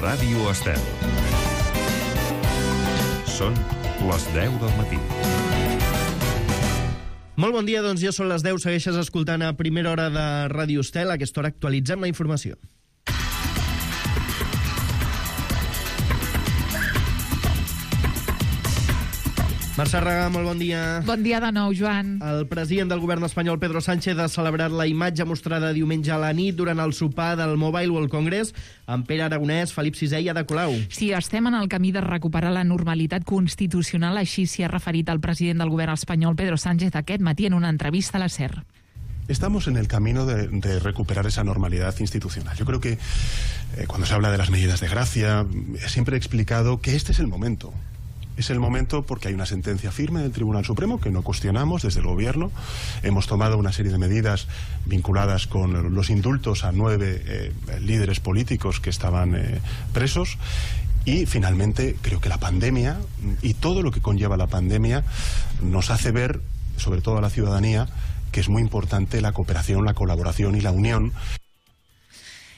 Ràdio Estel. Són les 10 del matí. Molt bon dia, doncs ja són les 10, segueixes escoltant a primera hora de Ràdio Estel. A aquesta hora actualitzem la informació. Mercè Ragà, molt bon dia. Bon dia de nou, Joan. El president del govern espanyol, Pedro Sánchez, ha celebrat la imatge mostrada diumenge a la nit durant el sopar del Mobile World Congress amb Pere Aragonès, Felip VI i Ada Colau. Sí, estem en el camí de recuperar la normalitat constitucional, així s'hi ha referit el president del govern espanyol, Pedro Sánchez, aquest matí en una entrevista a la SER. Estamos en el camino de recuperar esa normalidad institucional. Yo creo que cuando se habla de las medidas de gracia, siempre he explicado que este es el momento. Es el momento porque hay una sentencia firme del Tribunal Supremo que no cuestionamos desde el Gobierno. Hemos tomado una serie de medidas vinculadas con los indultos a 9 líderes políticos que estaban presos. Y finalmente creo que la pandemia y todo lo que conlleva la pandemia nos hace ver, sobre todo a la ciudadanía, que es muy importante la cooperación, la colaboración y la unión.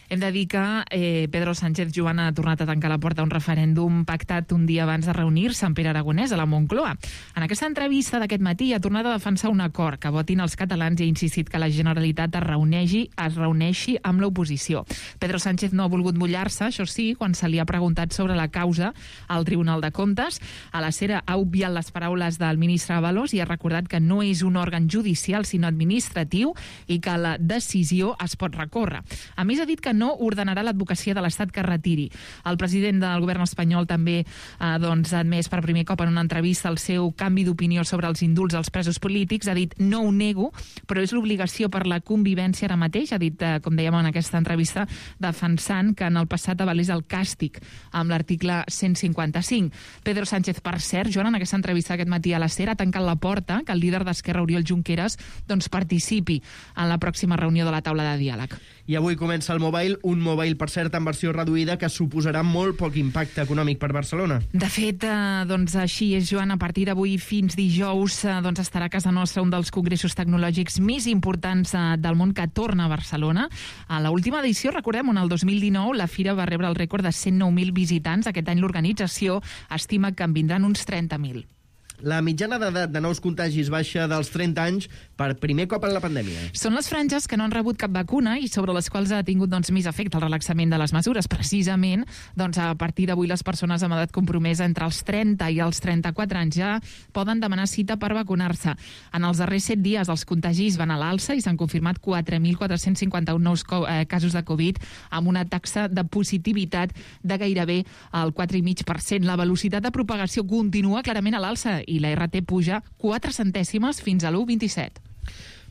Hem de dir que Pedro Sánchez, Joan, ha tornat a tancar la porta a un referèndum pactat un dia abans de reunir-se amb Pere Aragonès a la Moncloa. En aquesta entrevista d'aquest matí ha tornat a defensar un acord que votin els catalans i ha insistit que la Generalitat es reuneixi amb l'oposició. Pedro Sánchez no ha volgut mullar-se, això sí, quan se li ha preguntat sobre la causa al Tribunal de Comptes. A la SER ha obviat les paraules del ministre Ábalos i ha recordat que no és un òrgan judicial sinó administratiu i que la decisió es pot recórrer. A més, ha dit que no ordenarà l'advocacia de l'Estat que retiri. El president del govern espanyol també ha admès per primer cop en una entrevista el seu canvi d'opinió sobre els indults als presos polítics. Ha dit, no ho nego, però és l'obligació per la convivència ara mateix. Ha dit, com dèiem en aquesta entrevista, defensant que en el passat avalés el càstig amb l'article 155. Pedro Sánchez, per cert, Joan, en aquesta entrevista aquest matí a la SER ha tancat la porta que el líder d'Esquerra, Oriol Junqueras, participi en la pròxima reunió de la taula de diàleg. I avui comença el Mobile, un Mobile, per cert, en versió reduïda, que suposarà molt poc impacte econòmic per Barcelona. De fet, així és, Joan, a partir d'avui fins dijous estarà a casa nostra un dels congressos tecnològics més importants del món que torna a Barcelona. A l'última edició, recordem, el 2019, la fira va rebre el rècord de 109.000 visitants. Aquest any l'organització estima que en vindran uns 30.000. La mitjana d'edat de nous contagis baixa dels 30 anys per primer cop en la pandèmia. Són les franges que no han rebut cap vacuna i sobre les quals ha tingut més efecte el relaxament de les mesures. Precisament, a partir d'avui les persones amb edat compromesa entre els 30 i els 34 anys ja poden demanar cita per vacunar-se. En els darrers 7 dies els contagis van a l'alça i s'han confirmat 4.451 nous casos de Covid amb una taxa de positivitat de gairebé el 4,5%. La velocitat de propagació continua clarament a l'alça i la RT puja 4 centèsimes fins a l'1,27.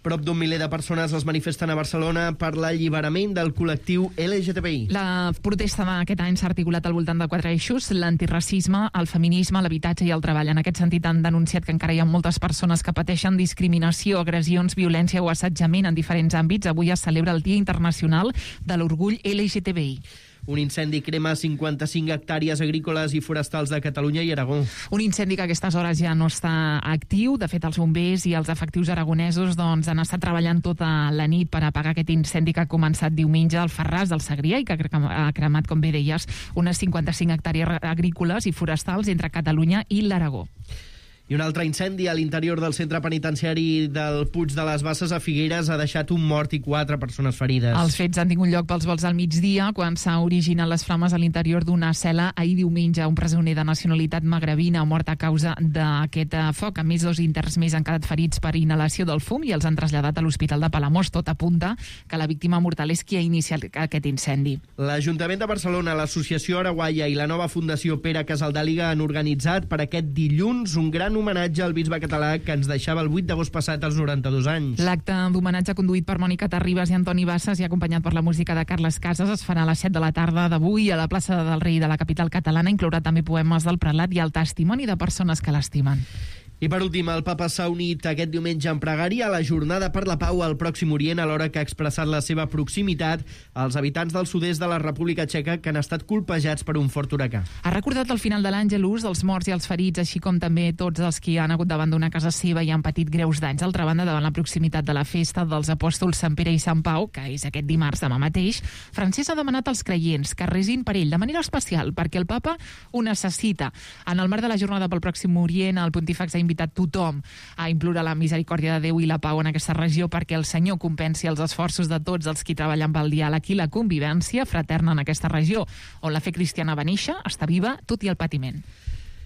Prop d'un miler de persones es manifesten a Barcelona per l'alliberament del col·lectiu LGTBI. La protesta d'aquest any s'ha articulat al voltant de 4 eixos: l'antiracisme, el feminisme, l'habitatge i el treball. En aquest sentit han denunciat que encara hi ha moltes persones que pateixen discriminació, agressions, violència o assetjament en diferents àmbits. Avui es celebra el Dia Internacional de l'Orgull LGTBI. Un incendi crema 55 hectàrees agrícoles i forestals de Catalunya i Aragó. Un incendi que a aquestes hores ja no està actiu. De fet, els bombers i els efectius aragonesos han estat treballant tota la nit per apagar aquest incendi que ha començat diumenge al Ferràs del Segrià i que ha cremat, com bé deies, unes 55 hectàrees agrícoles i forestals entre Catalunya i l'Aragó. I un altre incendi a l'interior del centre penitenciari del Puig de les Basses a Figueres ha deixat un mort i 4 persones ferides. Els fets han tingut lloc pels vols al migdia, quan s'ha originat les flames a l'interior d'una cel·la. Ahir diumenge, un presoner de nacionalitat magrebina ha mort a causa d'aquest foc. A més, 2 interns més han quedat ferits per inhalació del fum i els han traslladat a l'Hospital de Palamós. Tot apunta que la víctima mortal és qui ha iniciat aquest incendi. L'Ajuntament de Barcelona, l'Associació Araguaia i la nova Fundació Pere Casaldàliga han organitzat per aquest dilluns un gran homenatge al bisbe català que ens deixava el 8 d'agost passat als 92 anys. L'acte d'homenatge conduït per Mònica Terribas i Antoni Bassas i acompanyat per la música de Carles Casas es farà a les 7 de la tarda d'avui a la plaça del Rei de la capital catalana. Inclourà també poemes del prelat i el testimoni de persones que l'estimen. I per últim, el papa s'ha unit aquest diumenge en pregària a la Jornada per la Pau al Pròxim Orient, alhora que ha expressat la seva proximitat als habitants del sud-est de la República Txeca que han estat colpejats per un fort huracà. Ha recordat al final de l'Àngelus els morts i els ferits, així com també tots els que han hagut d'abandonar casa seva i han patit greus danys. D'altra banda, davant la proximitat de la festa dels apòstols Sant Pere i Sant Pau, que és aquest dimarts demà mateix, Francesc ha demanat als creients que resin per ell de manera especial, perquè el papa ho necessita. En el marc de la Jornada pel Pròxim Orient, el pontífex ha invitat tothom a implorar la misericòrdia de Déu i la pau en aquesta regió perquè el Senyor compensi els esforços de tots els qui treballen pel diàleg i la convivència fraterna en aquesta regió, on la fe cristiana va néixer, està viva, tot i el patiment.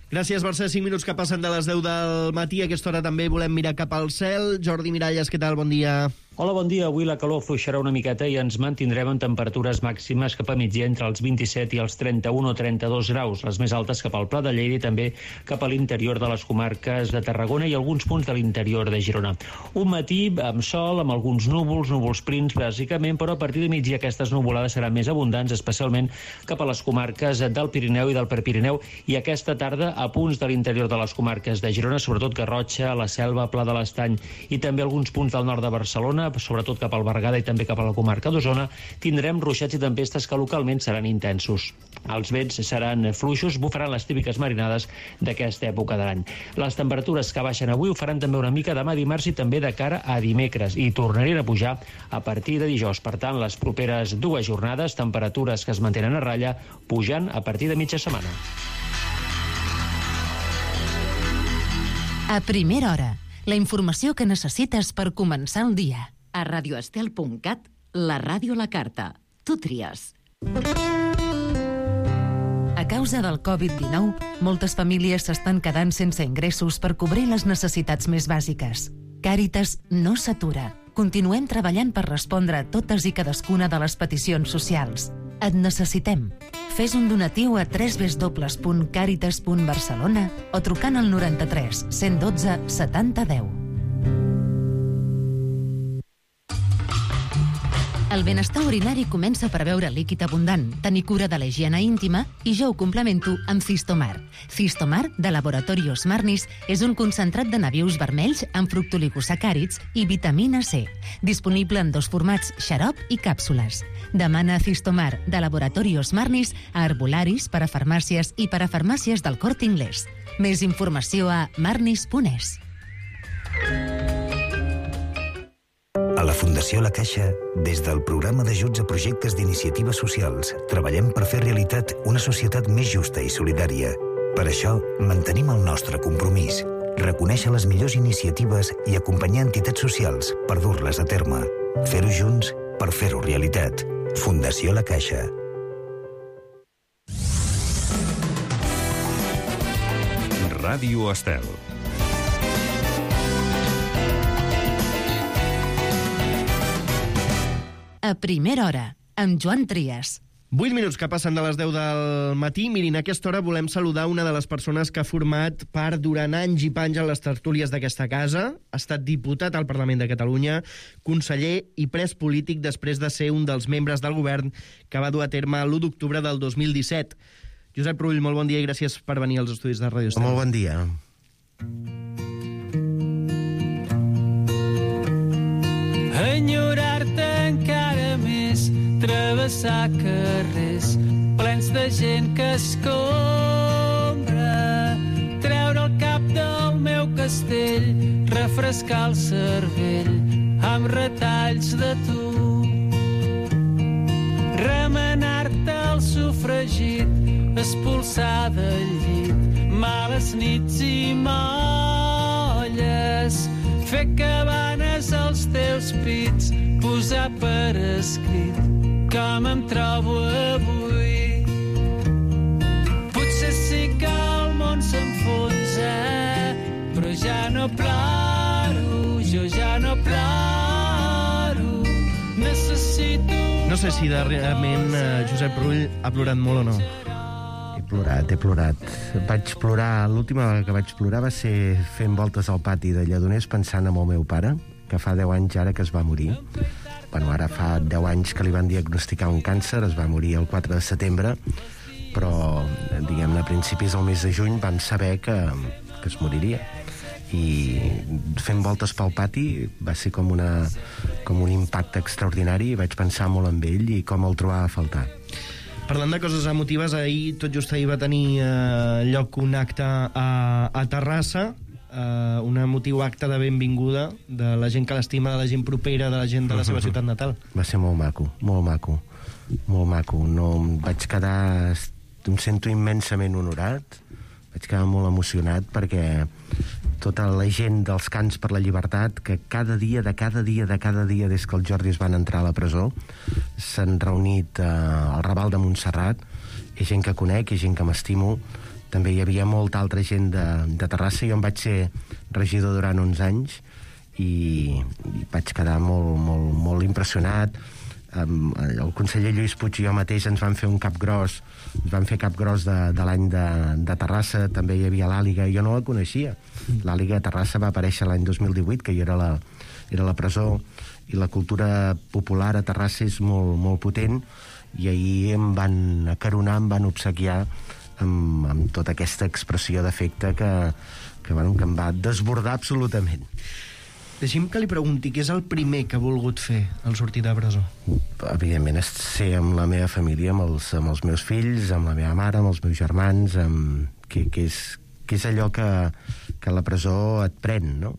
Gràcies, Mercè. 5 minuts que passen de les 10 del matí. A aquesta hora també volem mirar cap al cel. Jordi Miralles, què tal? Bon dia. Hola, bon dia. Avui la calor afluixarà una miqueta i ens mantindrem en temperatures màximes cap a migdia entre els 27 i els 31 o 32 graus, les més altes cap al Pla de Lleida i també cap a l'interior de les comarques de Tarragona i alguns punts de l'interior de Girona. Un matí amb sol, amb alguns núvols prims, bàsicament, però a partir de migdia aquestes nuvolades seran més abundants, especialment cap a les comarques del Pirineu i del Prepirineu, i aquesta tarda a punts de l'interior de les comarques de Girona, sobretot Garrotxa, la Selva, Pla de l'Estany i també alguns punts del nord de Barcelona, sobretot cap al Berguedà i també cap a la comarca d'Osona, tindrem ruixats i tempestes que localment seran intensos. Els vents seran fluixos, bufaran les típiques marinades d'aquesta època de l'any. Les temperatures que baixen avui ho faran també una mica demà dimarts i també de cara a dimecres, i tornarien a pujar a partir de dijous. Per tant, les properes 2 jornades, temperatures que es mantenen a ratlla, pujant a partir de mitja setmana. A primera hora, la informació que necessites per començar el dia. A radioestel.cat, la ràdio a la carta. Tu tries. A causa del Covid-19, moltes famílies s'estan quedant sense ingressos per cobrir les necessitats més bàsiques. Càritas no s'atura. Continuem treballant per respondre a totes i cadascuna de les peticions socials. Et necessitem. Fes un donatiu a www.caritas.barcelona o trucant al 93 112 70 10. El benestar urinari comença per beure líquid abundant, tenir cura de la higiene íntima, i jo ho complemento amb Cistomar. Cistomar, de Laboratorios Marnis, és un concentrat de nabius vermells amb fructoligosacàrids i vitamina C, disponible en 2 formats, xarop i càpsules. Demana Cistomar, de Laboratorios Marnis, a herbolaris, parafarmàcies i parafarmàcies del Corte Inglés. Més informació a marnis.es. A la Fundació La Caixa, des del programa d'ajuts a projectes d'iniciatives socials, treballem per fer realitat una societat més justa i solidària. Per això, mantenim el nostre compromís, reconèixer les millors iniciatives i acompanyar entitats socials per dur-les a terme. Fer-ho junts per fer-ho realitat. Fundació La Caixa. Ràdio Estel. A primera hora, amb Joan Trias. 8 minuts que passen de les 10 del matí. Mirin, a aquesta hora volem saludar una de les persones que ha format part durant anys i panys en les tertúlies d'aquesta casa. Ha estat diputat al Parlament de Catalunya, conseller i pres polític després de ser un dels membres del govern que va dur a terme l'1 d'octubre del 2017. Josep Rull, molt bon dia i gràcies per venir als estudis de Ràdio Estel. Molt bon dia. Enyorar-te encara més, travessar carrers plens de gent que escombra, treure el cap del meu castell, refrescar el cervell amb retalls de tu, remenar-te el sofregit, expulsar del llit males nits i molles, fer cabanes als teus pits, posar per escrit com em trobo avui. Potser sí que el món s'enfonsa, però ja no ploro, jo ja no ploro, necessito... No sé si darrerament Josep Rull ha plorat molt o no. He plorat. Vaig plorar, l'última vegada que vaig plorar va ser fent voltes al pati de Lledoners pensant en el meu pare, que fa 10 anys ara que es va morir. Bueno, ara fa 10 anys que li van diagnosticar un càncer, es va morir el 4 de setembre, però, diguem-ne, a principis del mes de juny vam saber que es moriria. i fent voltes pel pati va ser com un impacte extraordinari, i vaig pensar molt en ell i com el trobava a faltar. Parlant de coses emotives, tot just ahir va tenir lloc un acte a Terrassa, un emotiu acte de benvinguda de la gent que l'estima, de la gent propera, de la gent de la seva ciutat natal. Va ser molt maco, molt maco, molt maco. No, em vaig quedar... Em sento immensament honorat, vaig quedar molt emocionat perquè tota la gent dels Cants per la Llibertat, que cada dia, des que els Jordis van entrar a la presó, s'han reunit al Raval de Montserrat. Hi ha gent que conec, hi ha gent que m'estimo. També hi havia molta altra gent de Terrassa. Jo em vaig ser regidor durant 11 anys i vaig quedar molt impressionat. El conseller Lluís Puig i jo mateix ens van fer cap gros de l'any de Terrassa. També hi havia l'Àliga, jo no la coneixia. L'Àliga de Terrassa va aparèixer l'any 2018, que jo era la presó, i la cultura popular a Terrassa és molt potent, i ahir em van acaronar, em van obsequiar amb tota aquesta expressió d'afecte que em va desbordar absolutament. Deixi'm que li pregunti, què és el primer que ha volgut fer al sortir de presó? Evidentment, ser amb la meva família, amb els meus fills, amb la meva mare, amb els meus germans, que és allò que la presó et pren, no?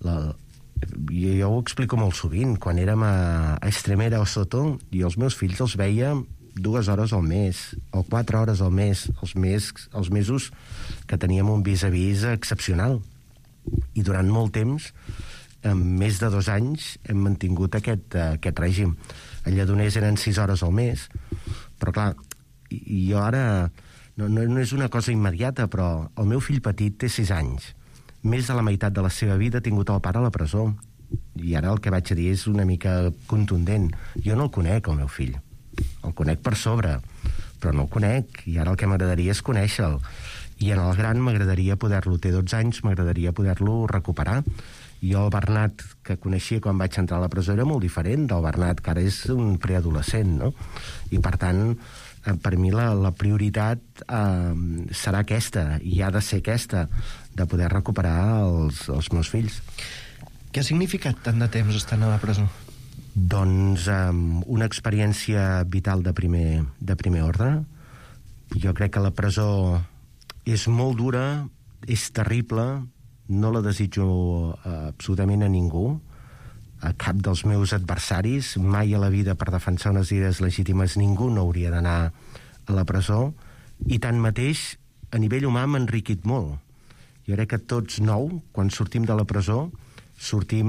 Jo ho explico molt sovint. Quan érem a Extremera o Soto, i els meus fills els veia 2 hores al mes, o 4 hores al mes, els mesos que teníem un vis-a-vis excepcional. I durant molt temps, en més de 2 anys, hem mantingut aquest règim. A Lledoners eren 6 hores al mes, però clar, jo ara no és una cosa immediata, però el meu fill petit té 6 anys. Més de la meitat de la seva vida ha tingut el pare a la presó, i ara el que vaig a dir és una mica contundent. Jo no el conec, el meu fill. El conec per sobre, però no el conec, i ara el que m'agradaria és conèixer-lo. I en el gran m'agradaria poder-lo, té 12 anys, m'agradaria poder-lo recuperar. Jo el Bernat, que coneixia quan vaig entrar a la presó, era molt diferent del Bernat, que ara és un preadolescent, no? I per tant, per mi la prioritat serà aquesta, i ha de ser aquesta, de poder recuperar els meus fills. Què ha significat tant de temps estant a la presó? Doncs una experiència vital de primer ordre. Jo crec que la presó és molt dura, és terrible, no la desitjo absolutament a ningú, a cap dels meus adversaris. Mai a la vida, per defensar unes idees legítimes, ningú no hauria d'anar a la presó, i tanmateix a nivell humà m'ha enriquit molt. Jo crec que tots 9, quan sortim de la presó, sortim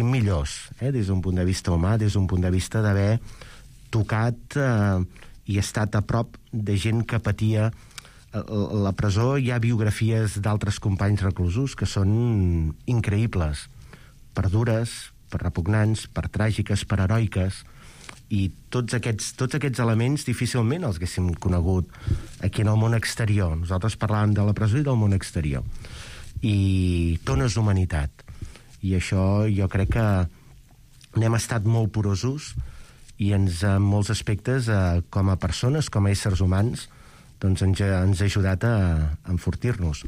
millors, des d'un punt de vista humà, des d'un punt de vista d'haver tocat i estat a prop de gent que patia la presó. Hi ha biografies d'altres companys reclusos que són increïbles, per dures, per repugnants, per tràgiques, per heroiques, i tots aquests elements difícilment els haguéssim conegut aquí en el món exterior. Nosaltres parlàvem de la presó i del món exterior, i tones d'humanitat, i això jo crec que n'hem estat molt porosos, i en molts aspectes, com a persones, com a éssers humans, doncs ens ha ajudat a enfortir-nos.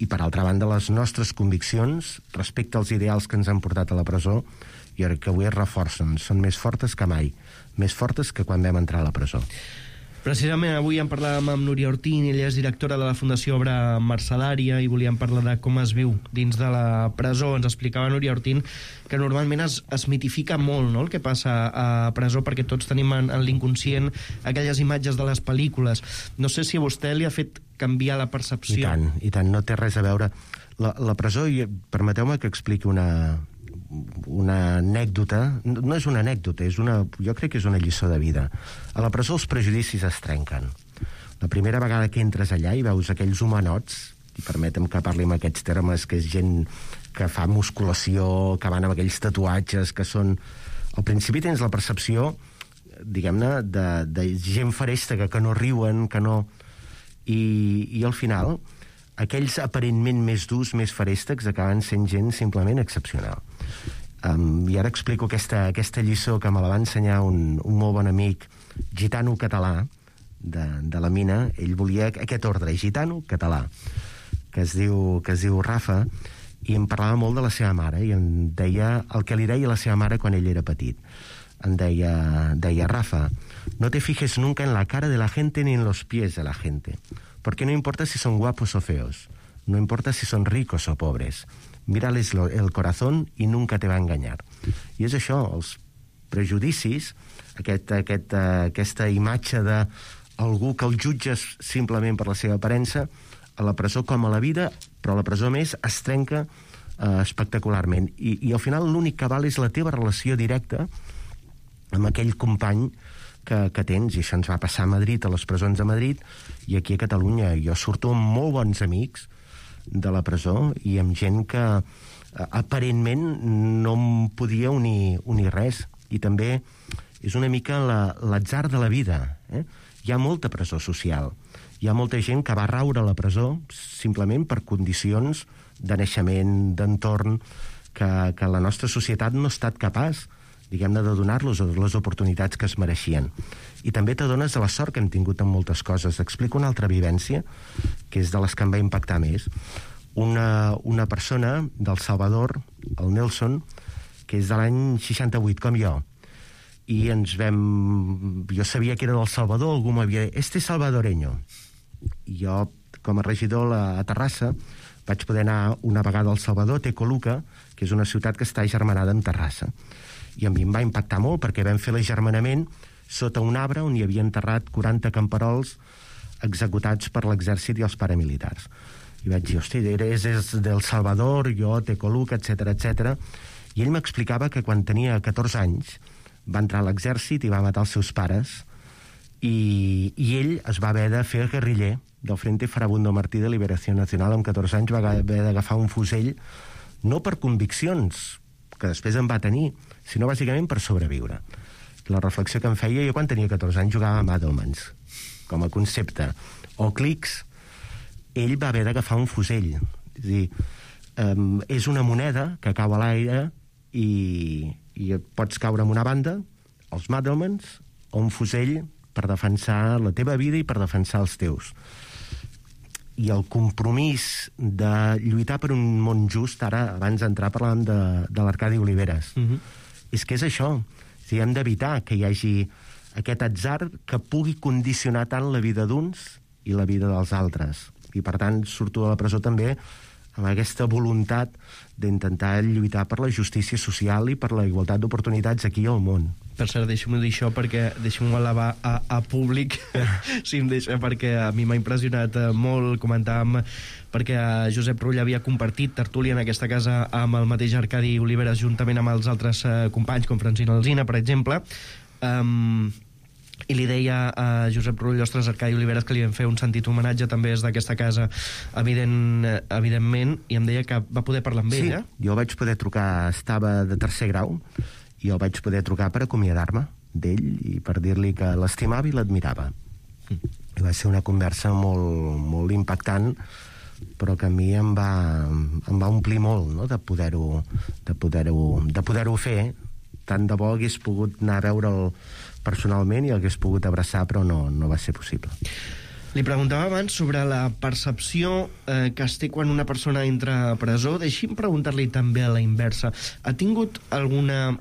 I per altra banda, les nostres conviccions respecte als ideals que ens han portat a la presó, jo crec que avui es reforcen, són més fortes que mai, més fortes que quan vam entrar a la presó. Precisament avui en parlàvem amb Núria Ortín, ella és directora de la Fundació Obra Mercedària, i volíem parlar de com es viu dins de la presó. Ens explicava Núria Ortín que normalment es mitifica molt, no?, el que passa a presó, perquè tots tenim en l'inconscient aquelles imatges de les pel·lícules. No sé si a vostè li ha fet canviar la percepció. I tant, no té res a veure. La presó, permeteu-me que expliqui una anècdota. No és una anècdota, jo crec que és una lliçó de vida. A la presó els prejudicis es trenquen. La primera vegada que entres allà i veus aquells humanots, i permetem que parli amb aquests termes, que és gent que fa musculació, que van amb aquells tatuatges, que són... Al principi tens la percepció, diguem-ne, de gent ferèstega, que no riuen, que no... I al final, aquells aparentment més durs, més feréstecs, acaben sent gent simplement excepcional. I ara explico aquesta lliçó que me la va ensenyar un molt bon amic gitano-català de la mina. Ell volia aquest ordre, gitano-català. que es diu Rafa, i em parlava molt de la seva mare, i em deia el que li deia la seva mare quan ell era petit. Em deia, Rafa, no te fijes nunca en la cara de la gente ni en los pies de la gente, porque no importa si son guapos o feos, no importa si son ricos o pobres, mírales el corazón y nunca te va a engañar. I és això, els prejudicis, aquesta imatge d'algú que el jutges simplement per la seva aparença, a la presó com a la vida, però a la presó més es trenca espectacularment. I al final l'únic que val és la teva relació directa amb aquell company que tens, i això ens va passar a Madrid, a les presons de Madrid, i aquí a Catalunya. Jo surto amb molt bons amics de la presó i amb gent que aparentment no em podia unir res. I també és una mica l'atzar de la vida. Hi ha molta presó social. Hi ha molta gent que va raure a la presó simplement per condicions de naixement, d'entorn, que la nostra societat no ha estat capaç, diguem-ne, de donar-los les oportunitats que es mereixien. I també t'adones de la sort que hem tingut en moltes coses. Explico una altra vivència, que és de les que em va impactar més. Una persona del Salvador, el Nelson, que és de l'any 68, com jo, i jo sabia que era del Salvador, algú m'havia dit, este salvadoreño. I jo, com a regidor a Terrassa, vaig poder anar una vegada al Salvador, Tecoluca, que és una ciutat que està agermanada amb Terrassa. I a mi em va impactar molt, perquè vam fer l'agermanament sota un arbre on hi havia enterrat 40 camperols executats per l'exèrcit i els paramilitars. I vaig dir, hosti, eres del Salvador, jo, Tecoluca, etc. I ell m'explicava que quan tenia 14 anys va entrar a l'exèrcit i va matar els seus pares, i ell es va haver de fer guerriller del Frente Farabundo Martí de Liberació Nacional. Amb 14 anys va haver d'agafar un fusell, no per conviccions, que després en va tenir, sinó bàsicament per sobreviure. La reflexió que em feia, jo quan tenia 14 anys jugava amb Adelmans, com a concepte, o clics. Ell va haver d'agafar un fusell. És a dir, és una moneda que cau a l'aire i pots caure en una banda, els Madelmans, o un fusell per defensar la teva vida i per defensar els teus. I el compromís de lluitar per un món just, ara, abans d'entrar, parlàvem de l'Arcadi Oliveres. És que és això. Si hem d'evitar que hi hagi aquest atzar que pugui condicionar tant la vida d'uns i la vida dels altres. I, per tant, surto de la presó també amb aquesta voluntat d'intentar lluitar per la justícia social i per la igualtat d'oportunitats aquí al món. Per cert, deixa'm-ho dir això, perquè deixa'm-ho elevar a públic, si em deixa, perquè a mi m'ha impressionat molt. Comentàvem, perquè Josep Rull havia compartit tertúlia en aquesta casa amb el mateix Arcadi Oliveres, juntament amb els altres companys, com Francina Alsina, per exemple, i li deia a Josep Rull, ostres, Arcadi Oliveres, que li vam fer un sentit homenatge també des d'aquesta casa, evidentment, i em deia que va poder parlar amb ell, Sí, jo vaig poder trucar, estava de tercer grau, i el vaig poder trucar per acomiadar-me d'ell i per dir-li que l'estimava i l'admirava. I va ser una conversa molt, molt impactant, però que a mi em va omplir molt, no?, de poder-ho fer. Tant de bo hagués pogut anar a veure'l personalment i hagués pogut abraçar, però no va ser possible. Li preguntava abans sobre la percepció que es té quan una persona entra a presó. Deixi'm preguntar-li també a la inversa. Ha tingut alguna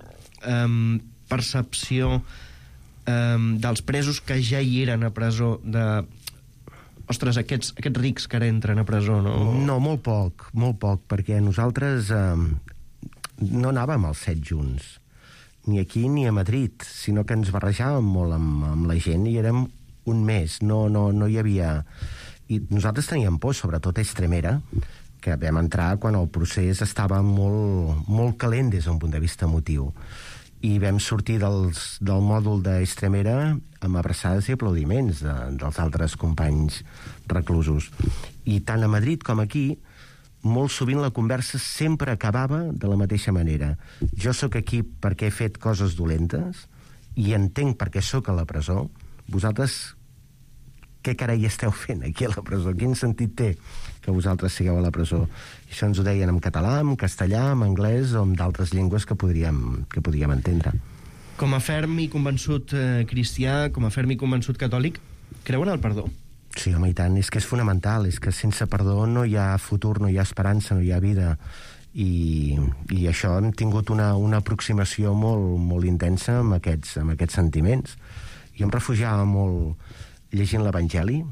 percepció dels presos que ja hi eren a presó de... Ostres, aquests rics que ara entren a presó, no? No, molt poc, perquè nosaltres no anàvem als 7 junts, ni aquí ni a Madrid, sinó que ens barrejàvem molt amb la gent i érem un mes, no hi havia... I nosaltres teníem por, sobretot a Estremera, que vam entrar quan el procés estava molt, molt calent des d'un punt de vista emotiu. I vam sortir del mòdul d'Estremera amb abraçades i aplaudiments dels altres companys reclusos. I tant a Madrid com aquí, molt sovint la conversa sempre acabava de la mateixa manera. Jo sóc aquí perquè he fet coses dolentes i entenc per què sóc a la presó. Vosaltres què carai esteu fent aquí a la presó? Quin sentit té que vosaltres sigueu a la presó? I això ens ho deien en català, en castellà, en anglès o en d'altres llengües que podríem entendre. Com a ferm i convençut cristià, com a ferm i convençut catòlic, creu en el perdó? Sí, home, i tant. És que és fonamental. És que sense perdó no hi ha futur, no hi ha esperança, no hi ha vida. I això hem tingut una aproximació molt intensa amb aquests sentiments. Jo em refugiava molt llegint l'Evangeli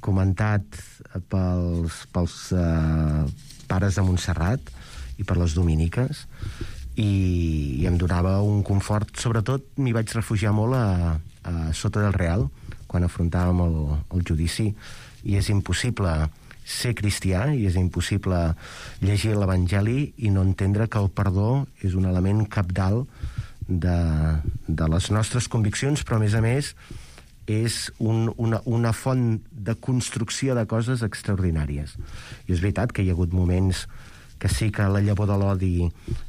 comentat pels pares de Montserrat i per les dominiques, i em donava un confort. Sobretot m'hi vaig refugiar molt a Sota del Real, quan afrontàvem el judici, i és impossible ser cristià i és impossible llegir l'Evangeli i no entendre que el perdó és un element cabdal de les nostres conviccions, però a més és una font de construcció de coses extraordinàries. I és veritat que hi ha hagut moments que sí que la llavor de l'odi,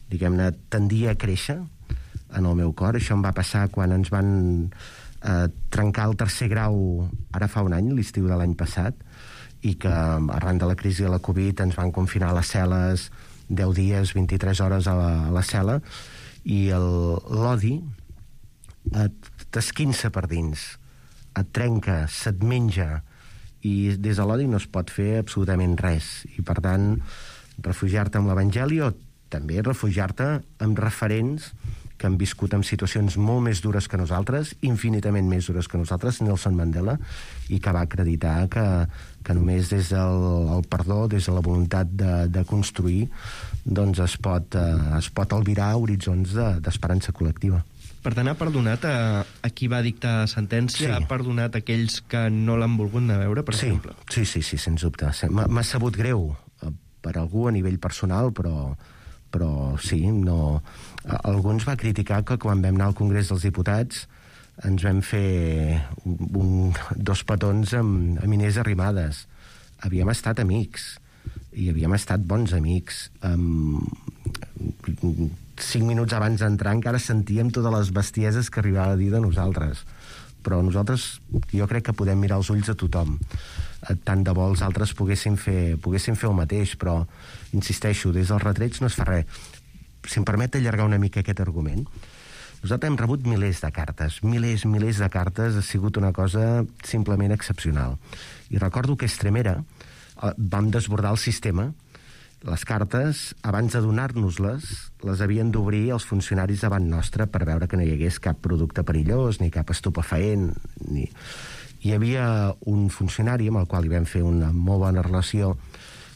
diguem-ne, tendia a créixer en el meu cor. Això em va passar quan ens van trencar el 3è grau ara fa un any, l'estiu de l'any passat, i que arran de la crisi de la Covid ens van confinar a les cel·les 10 dies, 23 hores a la cel·la, i l'odi t'esquinça per dins, et trenca, se't menja, i des de l'odi no es pot fer absolutament res. I per tant, refugiar-te amb l'Evangeli, o també refugiar-te amb referents que han viscut en situacions molt més dures que nosaltres, infinitament més dures que nosaltres, Nelson Mandela, i que va acreditar que només des del perdó, des de la voluntat de construir, doncs es pot albirar horitzons d'esperança col·lectiva. Per tant, ha perdonat a qui va dictar sentència? Sí. Ha perdonat aquells que no l'han volgut anar a veure, per exemple? Sí, sens dubte. M'ha sabut greu per algú a nivell personal, però sí, no. Alguns va criticar que quan vam anar al Congrés dels Diputats ens vam fer 2 petons amb Inés Arrimadas. Havíem estat amics, i havíem estat bons amics. 5 minuts abans d'entrar encara sentíem totes les bestieses que arribava a dir de nosaltres. Però nosaltres, jo crec que podem mirar els ulls a tothom. Tant de bo els altres poguessin fer el mateix, però insisteixo, des dels retrets no es fa res. Si em permet allargar una mica aquest argument, nosaltres hem rebut milers de cartes, milers de cartes. Ha sigut una cosa simplement excepcional. I recordo que a Estremera vam desbordar el sistema. Les cartes, abans de donar-nos-les, les havien d'obrir els funcionaris davant nostre per veure que no hi hagués cap producte perillós, ni cap estupefaent. Hi havia un funcionari amb el qual hi vam fer una molt bona relació,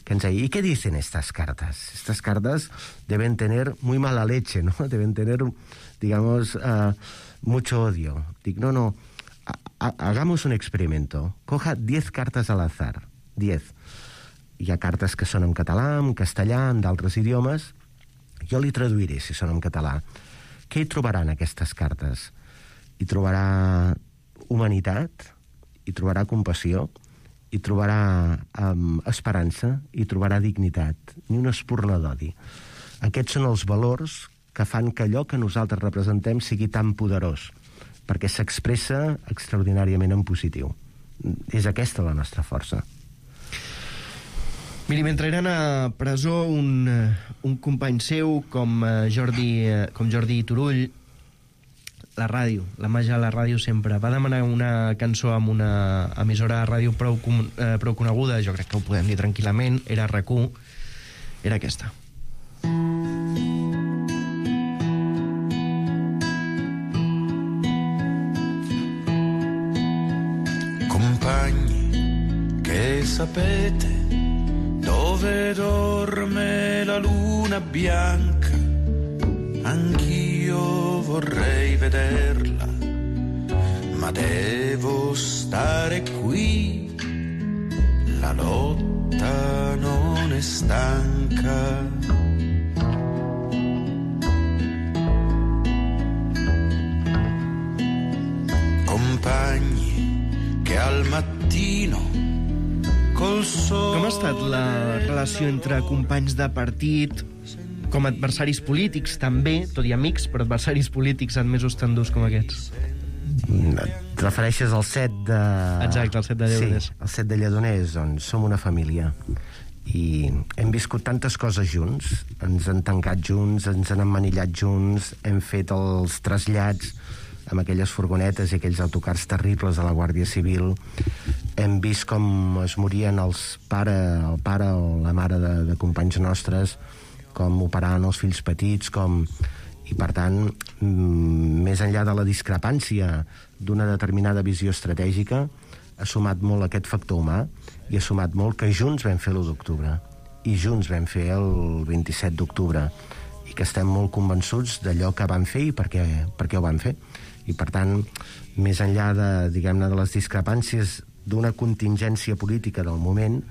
que ens deia, ¿y qué dicen estas cartas? Estas cartas deben tener muy mala leche, ¿no? Deben tener, digamos, mucho odio. Dic, no, hagamos un experimento. Coja 10 cartes al azar. 10. Hi ha cartes que són en català, en castellà, en d'altres idiomes. Jo li traduiré, si són en català. Què hi trobarà en aquestes cartes? Hi trobarà humanitat, hi trobarà compassió, hi trobarà esperança, hi trobarà dignitat, ni una espurna d'odi. Aquests són els valors que fan que allò que nosaltres representem sigui tan poderós, perquè s'expressa extraordinàriament en positiu. És aquesta la nostra força. Miri, mentre eren a presó un company seu com Jordi Turull, la ràdio, la màgia de la ràdio sempre va demanar una cançó amb una emissora de ràdio prou coneguda, jo crec que ho podem dir tranquil·lament, era RAC1, era aquesta. Compagni, che sapete dove dorme la luna bianca? Anch'io vorrei vederla, ma devo stare qui. La lotta non è stanca. Compagni che al mattino col sole... Com ha estat la relació entre companys de partit, com adversaris polítics també, tot i amics, però adversaris polítics admesos tan durs com aquests? Et refereixes al set de... Exacte, al set de Lledoners. Sí, al set de Lledoners, doncs som una família. I hem viscut tantes coses junts, ens han tancat junts, ens han emmanillat junts, hem fet els trasllats amb aquelles furgonetes i aquells autocars terribles de la Guàrdia Civil. Hem vist com es morien el pare o la mare de companys nostres, com operaven els fills petits, i per tant, més enllà de la discrepància d'una determinada visió estratègica, ha sumat molt aquest factor humà i ha sumat molt que junts vam fer l'1 d'octubre i junts vam fer el 27 d'octubre i que estem molt convençuts d'allò que vam fer i per què ho vam fer. I per tant, més enllà de, diguem-ne, de les discrepàncies d'una contingència política del moment,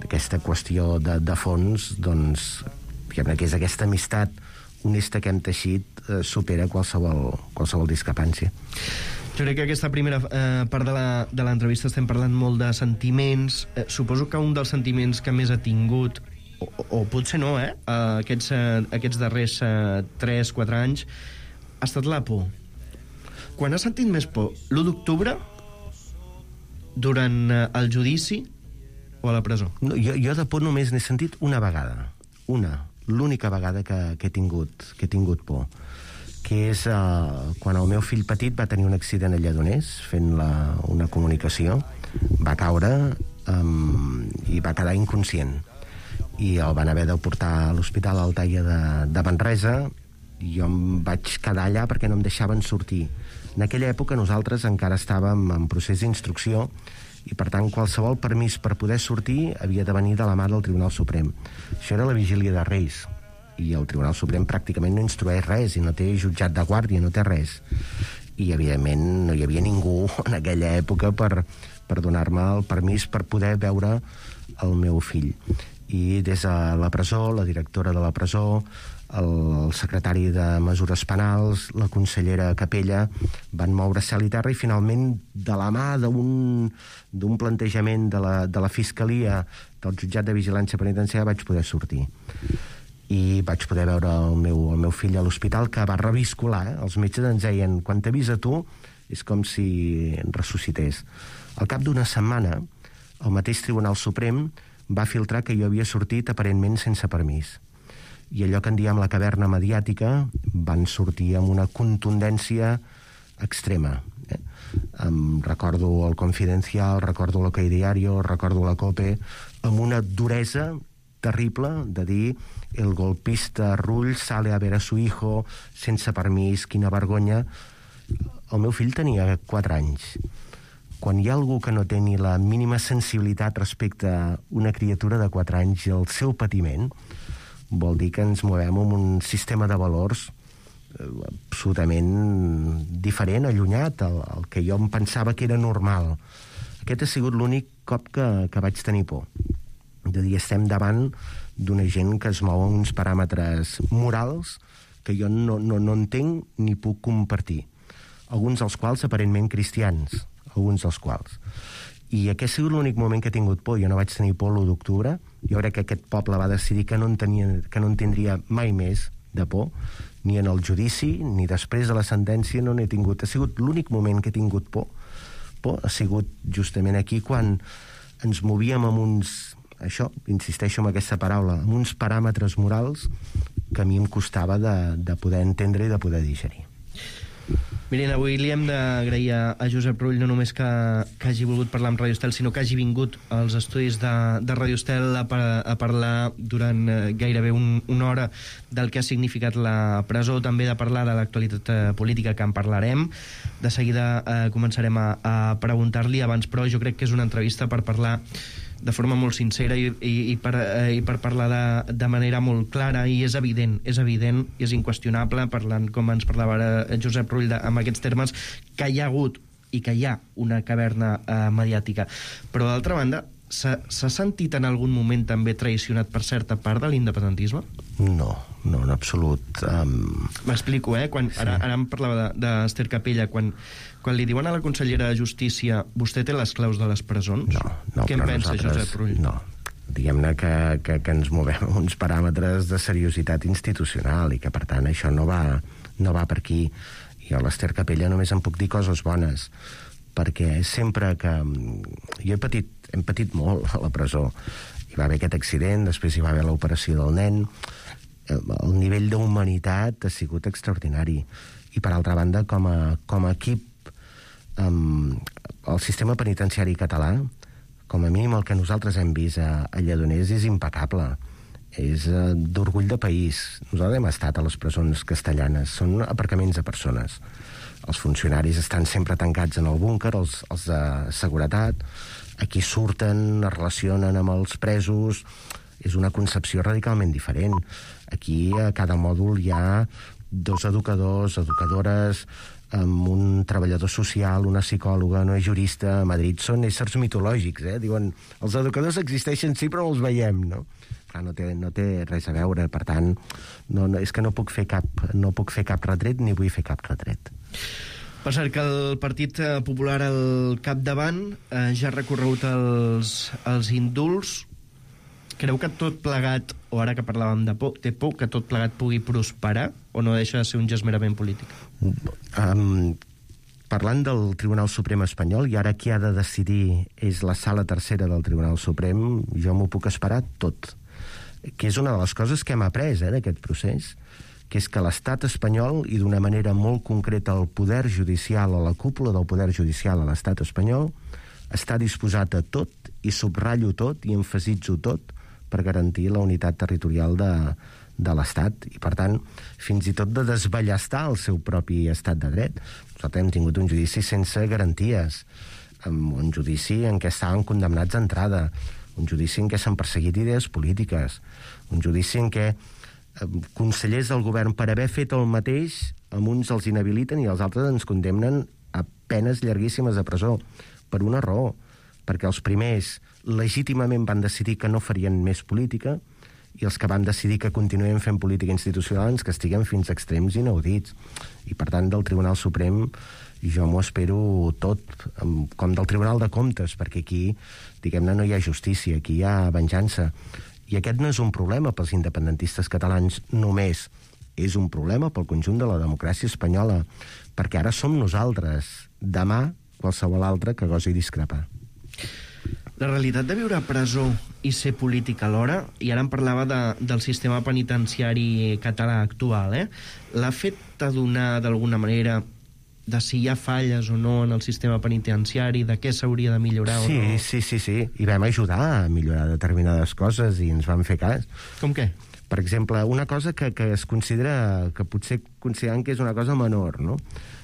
aquesta qüestió de fons, doncs, diguem-ne, que és aquesta amistat honesta que hem teixit, supera qualsevol discrepància. Jo crec que aquesta primera part de l'entrevista estem parlant molt de sentiments. Suposo que un dels sentiments que més ha tingut, o potser no, aquests darrers 3-4 anys, ha estat la por. Quan has sentit més por? L'1 d'octubre? Durant el judici? O a la presó? No, jo de por només n'he sentit una vegada. L'única vegada que he tingut por. Que és quan el meu fill petit va tenir un accident a Lledoners, fent una comunicació. Va caure i va quedar inconscient. I el van haver de portar a l'Hospital Altaia de Manresa. Jo em vaig quedar allà perquè no em deixaven sortir. En aquella època nosaltres encara estàvem en procés d'instrucció i, per tant, qualsevol permís per poder sortir havia de venir de la mà del Tribunal Suprem. Això era la vigília de Reis, i el Tribunal Suprem pràcticament no instrueix res, i no té jutjat de guàrdia, no té res. I, evidentment, no hi havia ningú en aquella època per donar-me el permís per poder veure el meu fill. I des de la presó, la directora de la presó, el secretari de Mesures Penals, la consellera Capella, van moure cel i terra i finalment, de la mà d'un plantejament de la Fiscalia, del jutjat de vigilància penitenciària, vaig poder sortir. I vaig poder veure el meu fill a l'hospital, que va reviscolar. Els metges ens deien, quan t'he vist a tu, és com si ressuscités. Al cap d'una setmana, el mateix Tribunal Suprem va filtrar que jo havia sortit aparentment sense permís. I allò que en diem la caverna mediàtica van sortir amb una contundència extrema. Recordo el Confidencial, recordo l'Ok Diario, recordo la COPE, amb una duresa terrible de dir el golpista Rull sale a ver a su hijo sense permís, quina vergonya. El meu fill tenia 4 anys. Quan hi ha algú que no té ni la mínima sensibilitat respecte a una criatura de 4 anys i el seu patiment, vol dir que ens movem en un sistema de valors absolutament diferent, allunyat, el que jo em pensava que era normal. Aquest ha sigut l'únic cop que vaig tenir por. De dir, estem davant d'una gent que es mou en uns paràmetres morals que jo no entenc ni puc compartir. Alguns dels quals aparentment cristians, alguns dels quals. I aquest ha sigut l'únic moment que he tingut por. Jo no vaig tenir por l'1 d'octubre. Jo crec que aquest poble va decidir que no en tindria mai més de por, ni en el judici, ni després de la sentència no n'he tingut. Ha sigut l'únic moment que he tingut por. Ha sigut justament aquí quan ens movíem amb uns, això, insisteixo en aquesta paraula, amb uns paràmetres morals que a mi em costava de poder entendre i de poder digerir. Miren, avui li hem d'agrair a Josep Rull no només que hagi volgut parlar amb Radio Estel, sinó que hagi vingut als estudis de Radio Estel a parlar durant gairebé una hora del que ha significat la presó, també de parlar de l'actualitat política, que en parlarem. De seguida començarem a preguntar-li abans, però jo crec que és una entrevista per parlar de forma molt sincera i per parlar de manera molt clara, i és evident i és inqüestionable, parlant com ens parlava ara Josep Rull amb aquests termes, que hi ha hagut i que hi ha una caverna mediàtica. Però d'altra banda, s'ha sentit en algun moment també traicionat per certa part de l'independentisme? No, en absolut. M'explico, ara em parlava d'Ester Capella, quan li diuen a la consellera de Justícia vostè té les claus de les presons? No, què en pensa Josep Rull? No, diguem-ne que ens movem a uns paràmetres de seriositat institucional i que, per tant, això no va per aquí. I a l'Ester Capella només em puc dir coses bones, perquè sempre que... Jo hem patit molt a la presó. Hi va haver aquest accident, després hi va haver l'operació del nen. el nivell d'humanitat ha sigut extraordinari. I, per altra banda, com a equip, el sistema penitenciari català, com a mínim el que nosaltres hem vist a Lledoners, és impecable. És d'orgull de país. Nosaltres hem estat a les presons castellanes. Són aparcaments de persones. Els funcionaris estan sempre tancats en el búnquer, els de seguretat. Aquí surten, es relacionen amb els presos. És una concepció radicalment diferent. Aquí a cada mòdul hi ha 2 educadors, educadores, amb un treballador social, una psicòloga, una jurista. A Madrid són éssers mitològics, Diuen, els educadors existeixen sí, però no els veiem, no? Clar, no té res a veure, per tant, és que no puc fer cap retret ni vull fer cap retret. Per cert, que el Partit Popular al capdavant ja ha recorregut els indults. Creu que tot plegat, o ara que parlàvem de por, té por que tot plegat pugui prosperar o no deixa de ser un gest merament polític? Parlant del Tribunal Suprem espanyol, i ara qui ha de decidir és la sala tercera del Tribunal Suprem, jo m'ho puc esperar tot. Que és una de les coses que hem après d'aquest procés, que és que l'estat espanyol, i d'una manera molt concreta el poder judicial o la cúpula del poder judicial a l'estat espanyol, està disposat a tot, i subratllo tot, i emfasitzo tot, per garantir la unitat territorial de l'Estat, i per tant, fins i tot de desballestar el seu propi estat de dret. Nosaltres hem tingut un judici sense garanties, un judici en què estaven condemnats d'entrada, un judici en què s'han perseguit idees polítiques, un judici en què consellers del govern, per haver fet el mateix, amb uns els inhabiliten i els altres ens condemnen a penes llarguíssimes de presó, per una raó, perquè els primers legítimament van decidir que no farien més política, i els que van decidir que continuem fent política institucional ens castiguen fins a extrems inaudits. I, per tant, del Tribunal Suprem jo m'ho espero tot, com del Tribunal de Comptes, perquè aquí, diguem-ne, no hi ha justícia, aquí hi ha venjança. I aquest no és un problema pels independentistes catalans només, és un problema pel conjunt de la democràcia espanyola, perquè ara som nosaltres, demà qualsevol altre que gosi discrepar. La realitat de viure a presó i ser polític alhora, i ara em parlava del sistema penitenciari català actual, l'ha fet adonar d'alguna manera de si hi ha falles o no en el sistema penitenciari, de què s'hauria de millorar o no? Sí. I vam ajudar a millorar determinades coses i ens van fer cas. Com què? Per exemple, una cosa que es considera, que potser considerem que és una cosa menor, no?,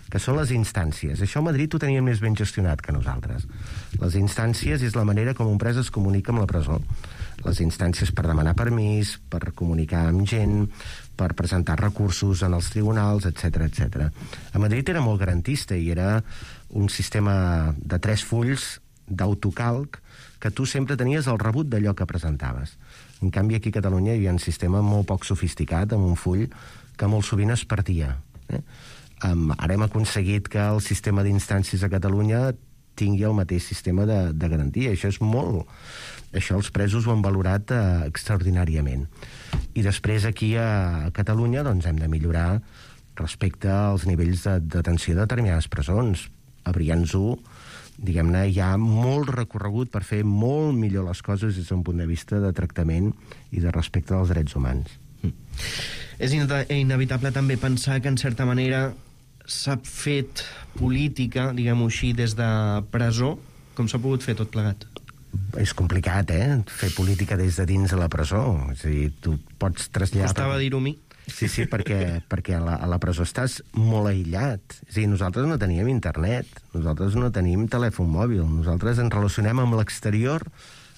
que són les instàncies. Això a Madrid ho tenien més ben gestionat que nosaltres. Les instàncies és la manera com un pres es comunica amb la presó. Les instàncies per demanar permís, per comunicar amb gent, per presentar recursos en els tribunals, etc. A Madrid era molt garantista i era un sistema de 3 fulls d'autocalc que tu sempre tenies el rebut d'allò que presentaves. En canvi, aquí a Catalunya hi havia un sistema molt poc sofisticat, amb un full que molt sovint es perdia. Ara hem aconseguit que el sistema d'instàncies a Catalunya tingui el mateix sistema de garantia. Això és molt... Això els presos ho han valorat extraordinàriament. I després aquí a Catalunya doncs, hem de millorar respecte als nivells de detenció de determinades presons. A Brians 1, diguem-ne, hi ha molt recorregut per fer molt millor les coses des d'un punt de vista de tractament i de respecte als drets humans. És inevitable també pensar que, en certa manera, s'ha fet política, diguem-ho així, des de presó. Com s'ha pogut fer tot plegat? És complicat, fer política des de dins de la presó. És a dir, tu pots traslladar... Costava dir-ho a mi. Sí, perquè a la presó estàs molt aïllat. És a dir, nosaltres no teníem internet, nosaltres no tenim telèfon mòbil, nosaltres ens relacionem amb l'exterior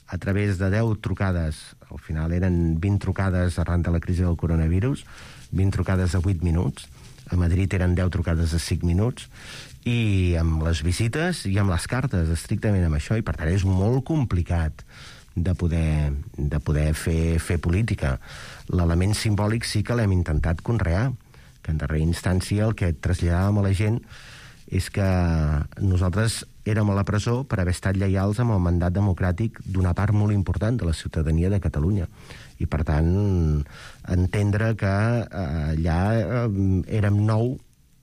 a través de 10 trucades. Al final eren 20 trucades arran de la crisi del coronavirus, 20 trucades de 8 minuts. A Madrid eren 10 trucades de 5 minuts, i amb les visites i amb les cartes, estrictament amb això, i per tant és molt complicat de poder fer política. L'element simbòlic sí que l'hem intentat conrear, que en darrera instància el que traslladàvem a la gent és que nosaltres érem a la presó per haver estat lleials amb el mandat democràtic d'una part molt important de la ciutadania de Catalunya. I, per tant, entendre que allà érem 9,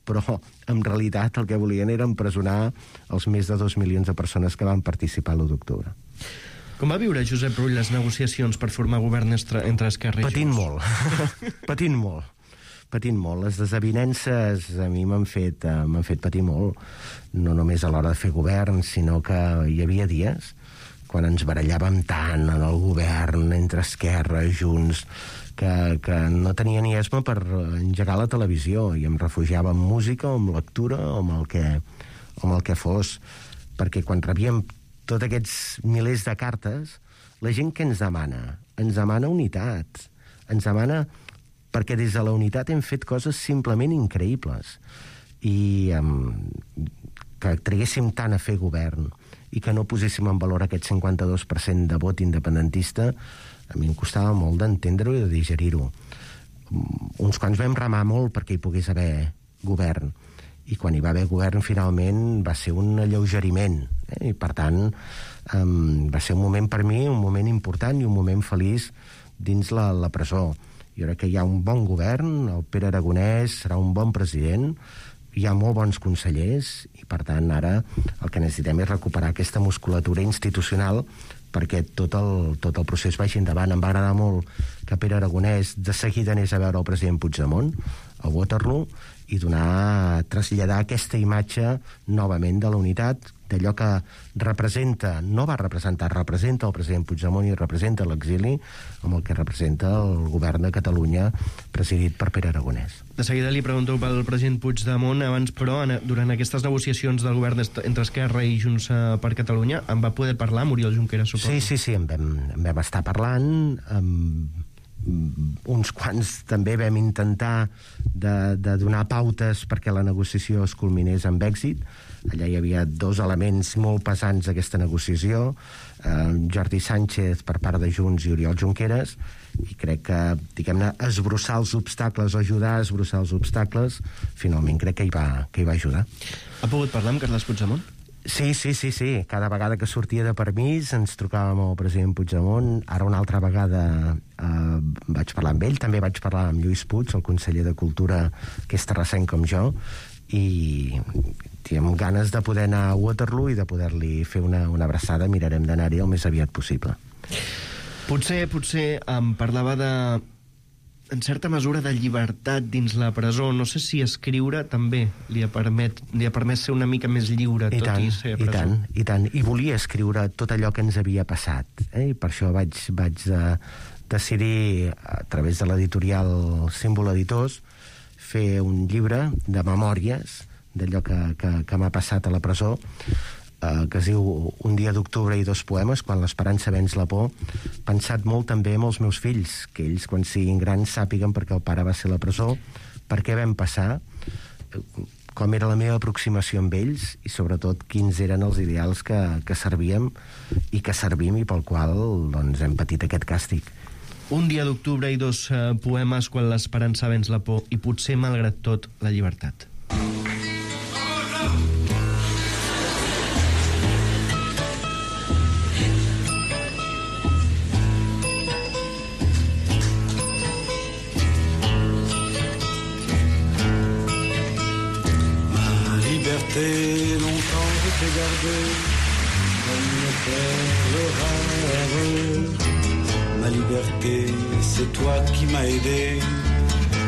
però en realitat el que volien era empresonar els més de 2 milions de persones que van participar l'1 d'octubre. Com va viure Josep Rull les negociacions per formar govern entre Esquerra i Junts? Patint molt. Les desavinences a mi m'han fet patir molt, no només a l'hora de fer govern, sinó que hi havia dies quan ens barallàvem tant en el govern entre Esquerra i Junts que no tenia ni esma per engegar la televisió i em refugiava en música o en lectura o amb el que fos, perquè quan rebíem tots aquests milers de cartes, la gent que ens demana unitat, ens demana perquè des de la unitat hem fet coses simplement increïbles i que traguéssim tant a fer govern i que no poséssim en valor aquest 52% de vot independentista, a mi em costava molt d'entendre-ho i de digerir-ho. Uns quants vam remar molt perquè hi pogués haver govern, i quan hi va haver govern finalment va ser un alleugeriment, i per tant va ser un moment per mi, un moment important i un moment feliç dins la presó. Jo crec que hi ha un bon govern, el Pere Aragonès serà un bon president, hi ha molt bons consellers i per tant ara el que necessitem és recuperar aquesta musculatura institucional perquè tot el procés vagi endavant. Em va agradar molt que Pere Aragonès de seguida anés a veure el president Puigdemont a Waterloo i traslladar aquesta imatge novament de la unitat, d'allò que representa el president Puigdemont i representa l'exili amb el que representa el govern de Catalunya presidit per Pere Aragonès. De seguida li pregunto pel president Puigdemont, abans però, durant aquestes negociacions del govern entre Esquerra i Junts per Catalunya, en va poder parlar Oriol Junqueras, suposo? Sí, en vam estar parlant, uns quants també vam intentar de donar pautes perquè la negociació es culminés amb èxit. Allà hi havia dos elements molt pesants d'aquesta negociació, Jordi Sánchez per part de Junts i Oriol Junqueras, i crec que, diguem-ne, esbrossar els obstacles o ajudar a esbrossar els obstacles, finalment crec que hi va ajudar. Ha pogut parlar amb Carles Puigdemont? Sí. Cada vegada que sortia de permís ens trucàvem al president Puigdemont. Ara una altra vegada vaig parlar amb ell. També vaig parlar amb Lluís Puig, el conseller de Cultura, que és terrassenc com jo, i amb ganes de poder anar a Waterloo i de poder-li fer una abraçada. Mirarem d'anar-hi el més aviat possible. Potser em parlava en certa mesura de llibertat dins la presó. No sé si escriure també li ha permès ser una mica més lliure i ser a presó. I tant. I volia escriure tot allò que ens havia passat. I per això vaig decidir, a través de l'editorial Símbol Editors, fer un llibre de memòries d'allò que m'ha passat a la presó, que es diu Un dia d'octubre i dos poemes, quan l'esperança venç la por, pensat molt també amb els meus fills, que ells quan siguin grans sàpiguen per què el pare va ser a la presó, per què vam passar, com era la meva aproximació amb ells i sobretot quins eren els ideals que servíem i que servim i pel qual doncs, hem patit aquest càstig. Un dia d'octubre i dos poemes, quan l'esperança venç la por i potser malgrat tot la llibertat. Longtemps je t'ai gardé comme une perle rare. Ma liberté, c'est toi qui m'as aidé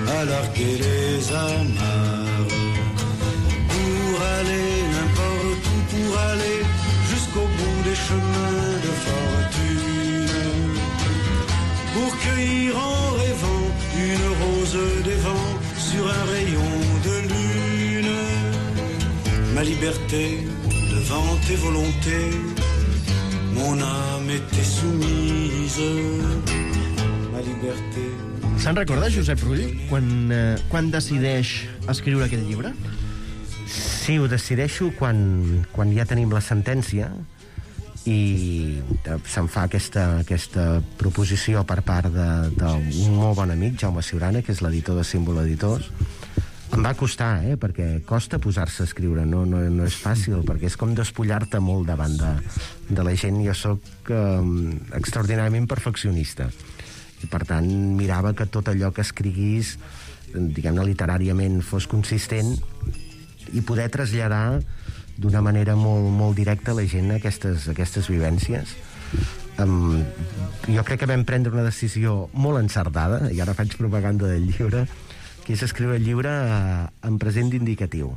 à larguer les amarres. Pour aller n'importe où, pour aller jusqu'au bout des chemins de fortune. Pour cueillir en rêvant une rose des vents sur un rayon de lune. Ma liberté, devant tes volontés, mon âme était soumise. Ma liberté... Se'n recorda, Josep Rull, quan decideix escriure aquest llibre? Sí, ho decideixo quan ja tenim la sentència i se'm fa aquesta proposició per part d'un molt bon amic, Jaume Ciurana, que és l'editor de Símbol Editors. Em va costar, perquè costa posar-se a escriure, no és fàcil, perquè és com despullar-te molt davant de la gent. Jo sóc extraordinàriament perfeccionista i per tant mirava que tot allò que escriguís, diguem-ne literàriament, fos consistent i poder traslladar d'una manera molt, molt directa a la gent aquestes vivències. Jo crec que vam prendre una decisió molt encertada, i ara faig propaganda del llibre, que és escriure el llibre en present indicatiu,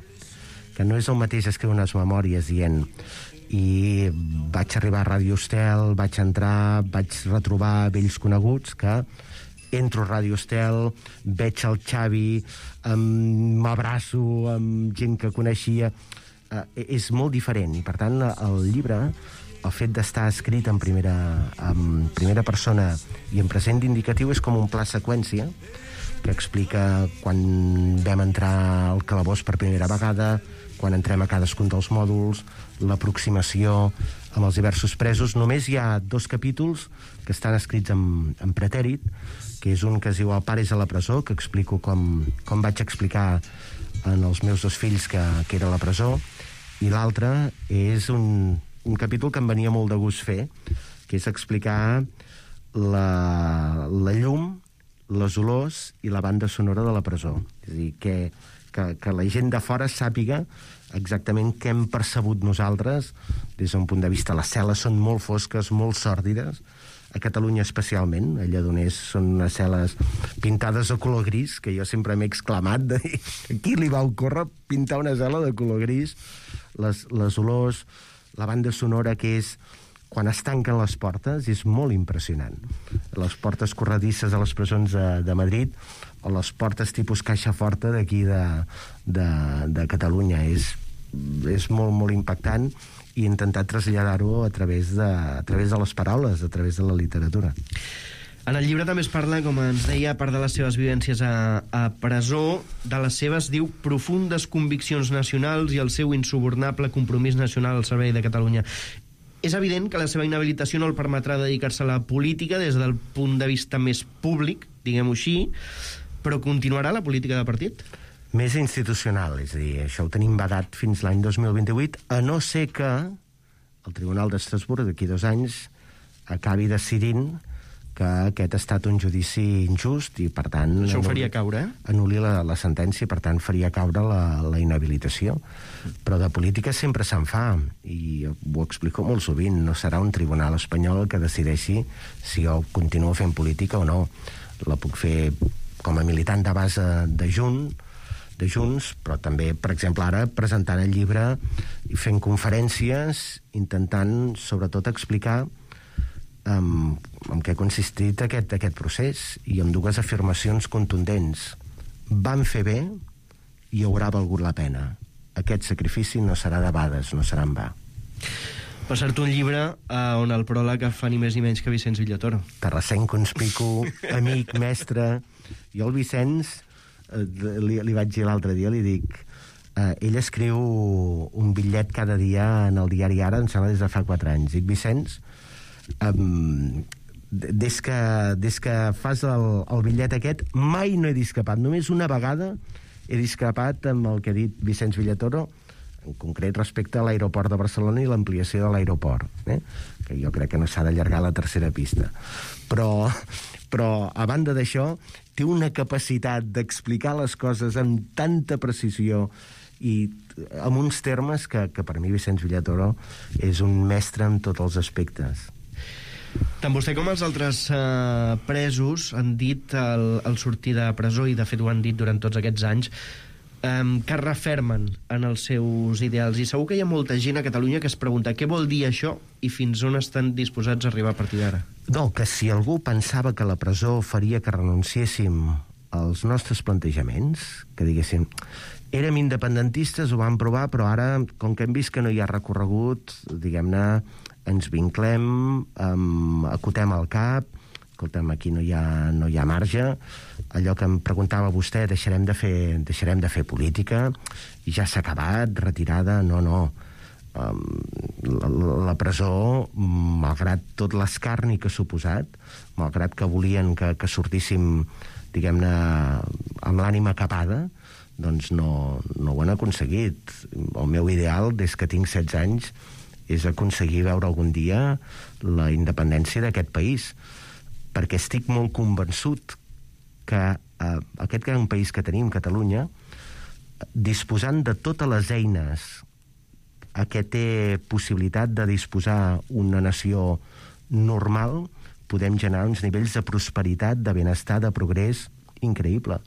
que no és el mateix escriure unes memòries dient i vaig arribar a Ràdio Estel, vaig entrar, vaig retrobar vells coneguts, que entro a Ràdio Estel, veig el Xavi, m'abraço amb gent que coneixia. És molt diferent, i per tant el llibre, el fet d'estar escrit en primera persona i en present indicatiu, és com un pla seqüència que explica quan vam entrar al calabós per primera vegada, quan entrem a cadascun dels mòduls, l'aproximació amb els diversos presos. Només hi ha 2 capítols que estan escrits en pretèrit, que és un que es diu El pare és a la presó, que explico com vaig explicar en els meus 2 fills que era a la presó, i l'altre és un capítol que em venia molt de gust fer, que és explicar la llum, les olors i la banda sonora de la presó. És a dir, que la gent de fora sàpiga exactament què hem percebut nosaltres des d'un punt de vista. Les cel·les són molt fosques, molt sòrdides, a Catalunya especialment. A Lledoners són unes cel·les pintades de color gris, que jo sempre m'he exclamat de dir, a qui li va ocórrer pintar una cel·la de color gris? Les olors, la banda sonora, que és quan es tanquen les portes, és molt impressionant. Les portes corredisses a les presons de Madrid o les portes tipus caixa forta d'aquí de Catalunya. És molt, molt impactant, i he intentat traslladar-ho a través de les paraules, a través de la literatura. En el llibre també es parla, com ens deia, a part de les seves vivències a presó, de les seves, diu, profundes conviccions nacionals i el seu insubornable compromís nacional al servei de Catalunya. És evident que la seva inhabilitació no el permetrà dedicar-se a la política des del punt de vista més públic, diguem-ho així, però continuarà la política de partit? Més institucional, és a dir, això ho tenim vedat fins l'any 2028, a no ser que el Tribunal d'Estrasburg d'aquí 2 anys acabi decidint que aquest ha estat un judici injust i, per tant... Això ho faria caure, anul·li la sentència, i, per tant, faria caure la inhabilitació. Però de política sempre se'n fa, i ho explico molt sovint. No serà un tribunal espanyol el que decideixi si jo continuo fent política o no. La puc fer com a militant de base de Junts, però també, per exemple, ara presentant el llibre i fent conferències, intentant, sobretot, explicar en què ha consistit aquest procés, i amb 2 afirmacions contundents. Van fer bé i haurà valgut la pena. Aquest sacrifici no serà debades, no serà en va. Per cert, un llibre on el pròleg fa ni més ni menys que Vicenç Villatoro. Terrassenc conspicu, amic, mestre. Jo al Vicenç li vaig dir l'altre dia, li dic, ell escriu un bitllet cada dia en el diari Ara, em sembla des de fa 4 anys. Dic, Vicenç, des que fas el bitllet aquest, mai no he discrepat. Només una vegada he discrepat amb el que ha dit Vicenç Villatoro, en concret respecte a l'aeroport de Barcelona i l'ampliació de l'aeroport, que jo crec que no s'ha d'allargar la tercera pista. Però a banda d'això, té una capacitat d'explicar les coses amb tanta precisió i amb uns termes que per mi Vicenç Villatoro és un mestre en tots els aspectes. Tant vostè com els altres presos han dit al sortir de presó, i de fet ho han dit durant tots aquests anys, que es refermen en els seus ideals, i segur que hi ha molta gent a Catalunya que es pregunta què vol dir això i fins on estan disposats a arribar a partir d'ara. No, que si algú pensava que la presó faria que renunciéssim als nostres plantejaments, que diguéssim érem independentistes, ho vam provar, però ara, com que hem vist que no hi ha recorregut, diguem-ne, ens vinclem, acotem el cap, escolta'm, aquí no hi ha marge, allò que em preguntava vostè, deixarem de fer política, i ja s'ha acabat, retirada, no. La presó, malgrat tot l'escarni que ha suposat, malgrat que volien que sortíssim, diguem-ne, amb l'ànima capada, doncs no ho han aconseguit. El meu ideal, des que tinc 16 anys, és aconseguir veure algun dia la independència d'aquest país, perquè estic molt convençut que aquest gran país que tenim, Catalunya, disposant de totes les eines a què té possibilitat de disposar una nació normal, podem generar uns nivells de prosperitat, de benestar, de progrés increïble.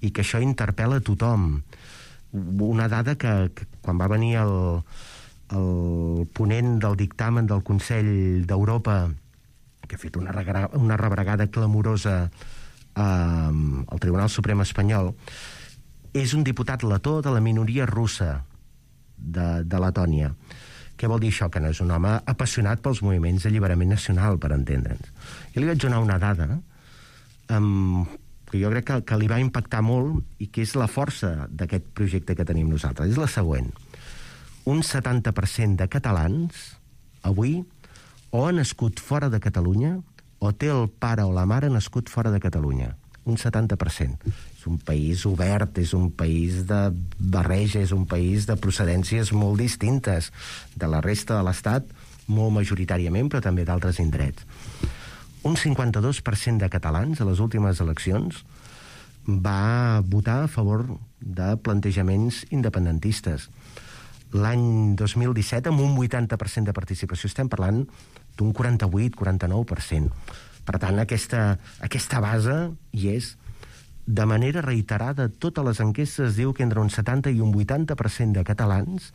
I que això interpel·la a tothom. Una dada que quan va venir el ponent del dictamen del Consell d'Europa, que ha fet una rebregada clamorosa al Tribunal Suprem espanyol, és un diputat letó de la minoria russa de Letònia. Què vol dir això? Que no és un home apassionat pels moviments d'alliberament nacional, per entendre'ns. Jo li vaig donar una dada que jo crec que li va impactar molt i que és la força d'aquest projecte que tenim nosaltres. És la següent. Un 70% de catalans avui o ha nascut fora de Catalunya o té el pare o la mare nascut fora de Catalunya. Un 70%. És un país obert, és un país de barreja, és un país de procedències molt distintes de la resta de l'Estat, molt majoritàriament, però també d'altres indrets. Un 52% de catalans a les últimes eleccions va votar a favor de plantejaments independentistes. L'any 2017, amb un 80% de participació, estem parlant d'un 48-49%. Per tant, aquesta base hi és. De manera reiterada, totes les enquestes diu que entre un 70 i un 80% de catalans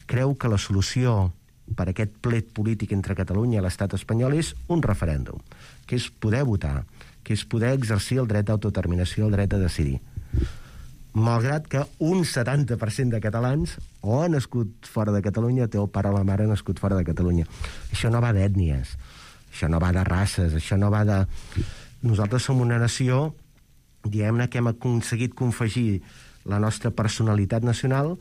creu que la solució per aquest plet polític entre Catalunya i l'estat espanyol és un referèndum, que és poder votar, que és poder exercir el dret d'autodeterminació, el dret a decidir. Malgrat que un 70% de catalans o ha nascut fora de Catalunya, té el pare o la mare nascut fora de Catalunya. Això no va d'ètnies, això no va de races, això no va de... Nosaltres som una nació, diguem-ne, que hem aconseguit confegir la nostra personalitat nacional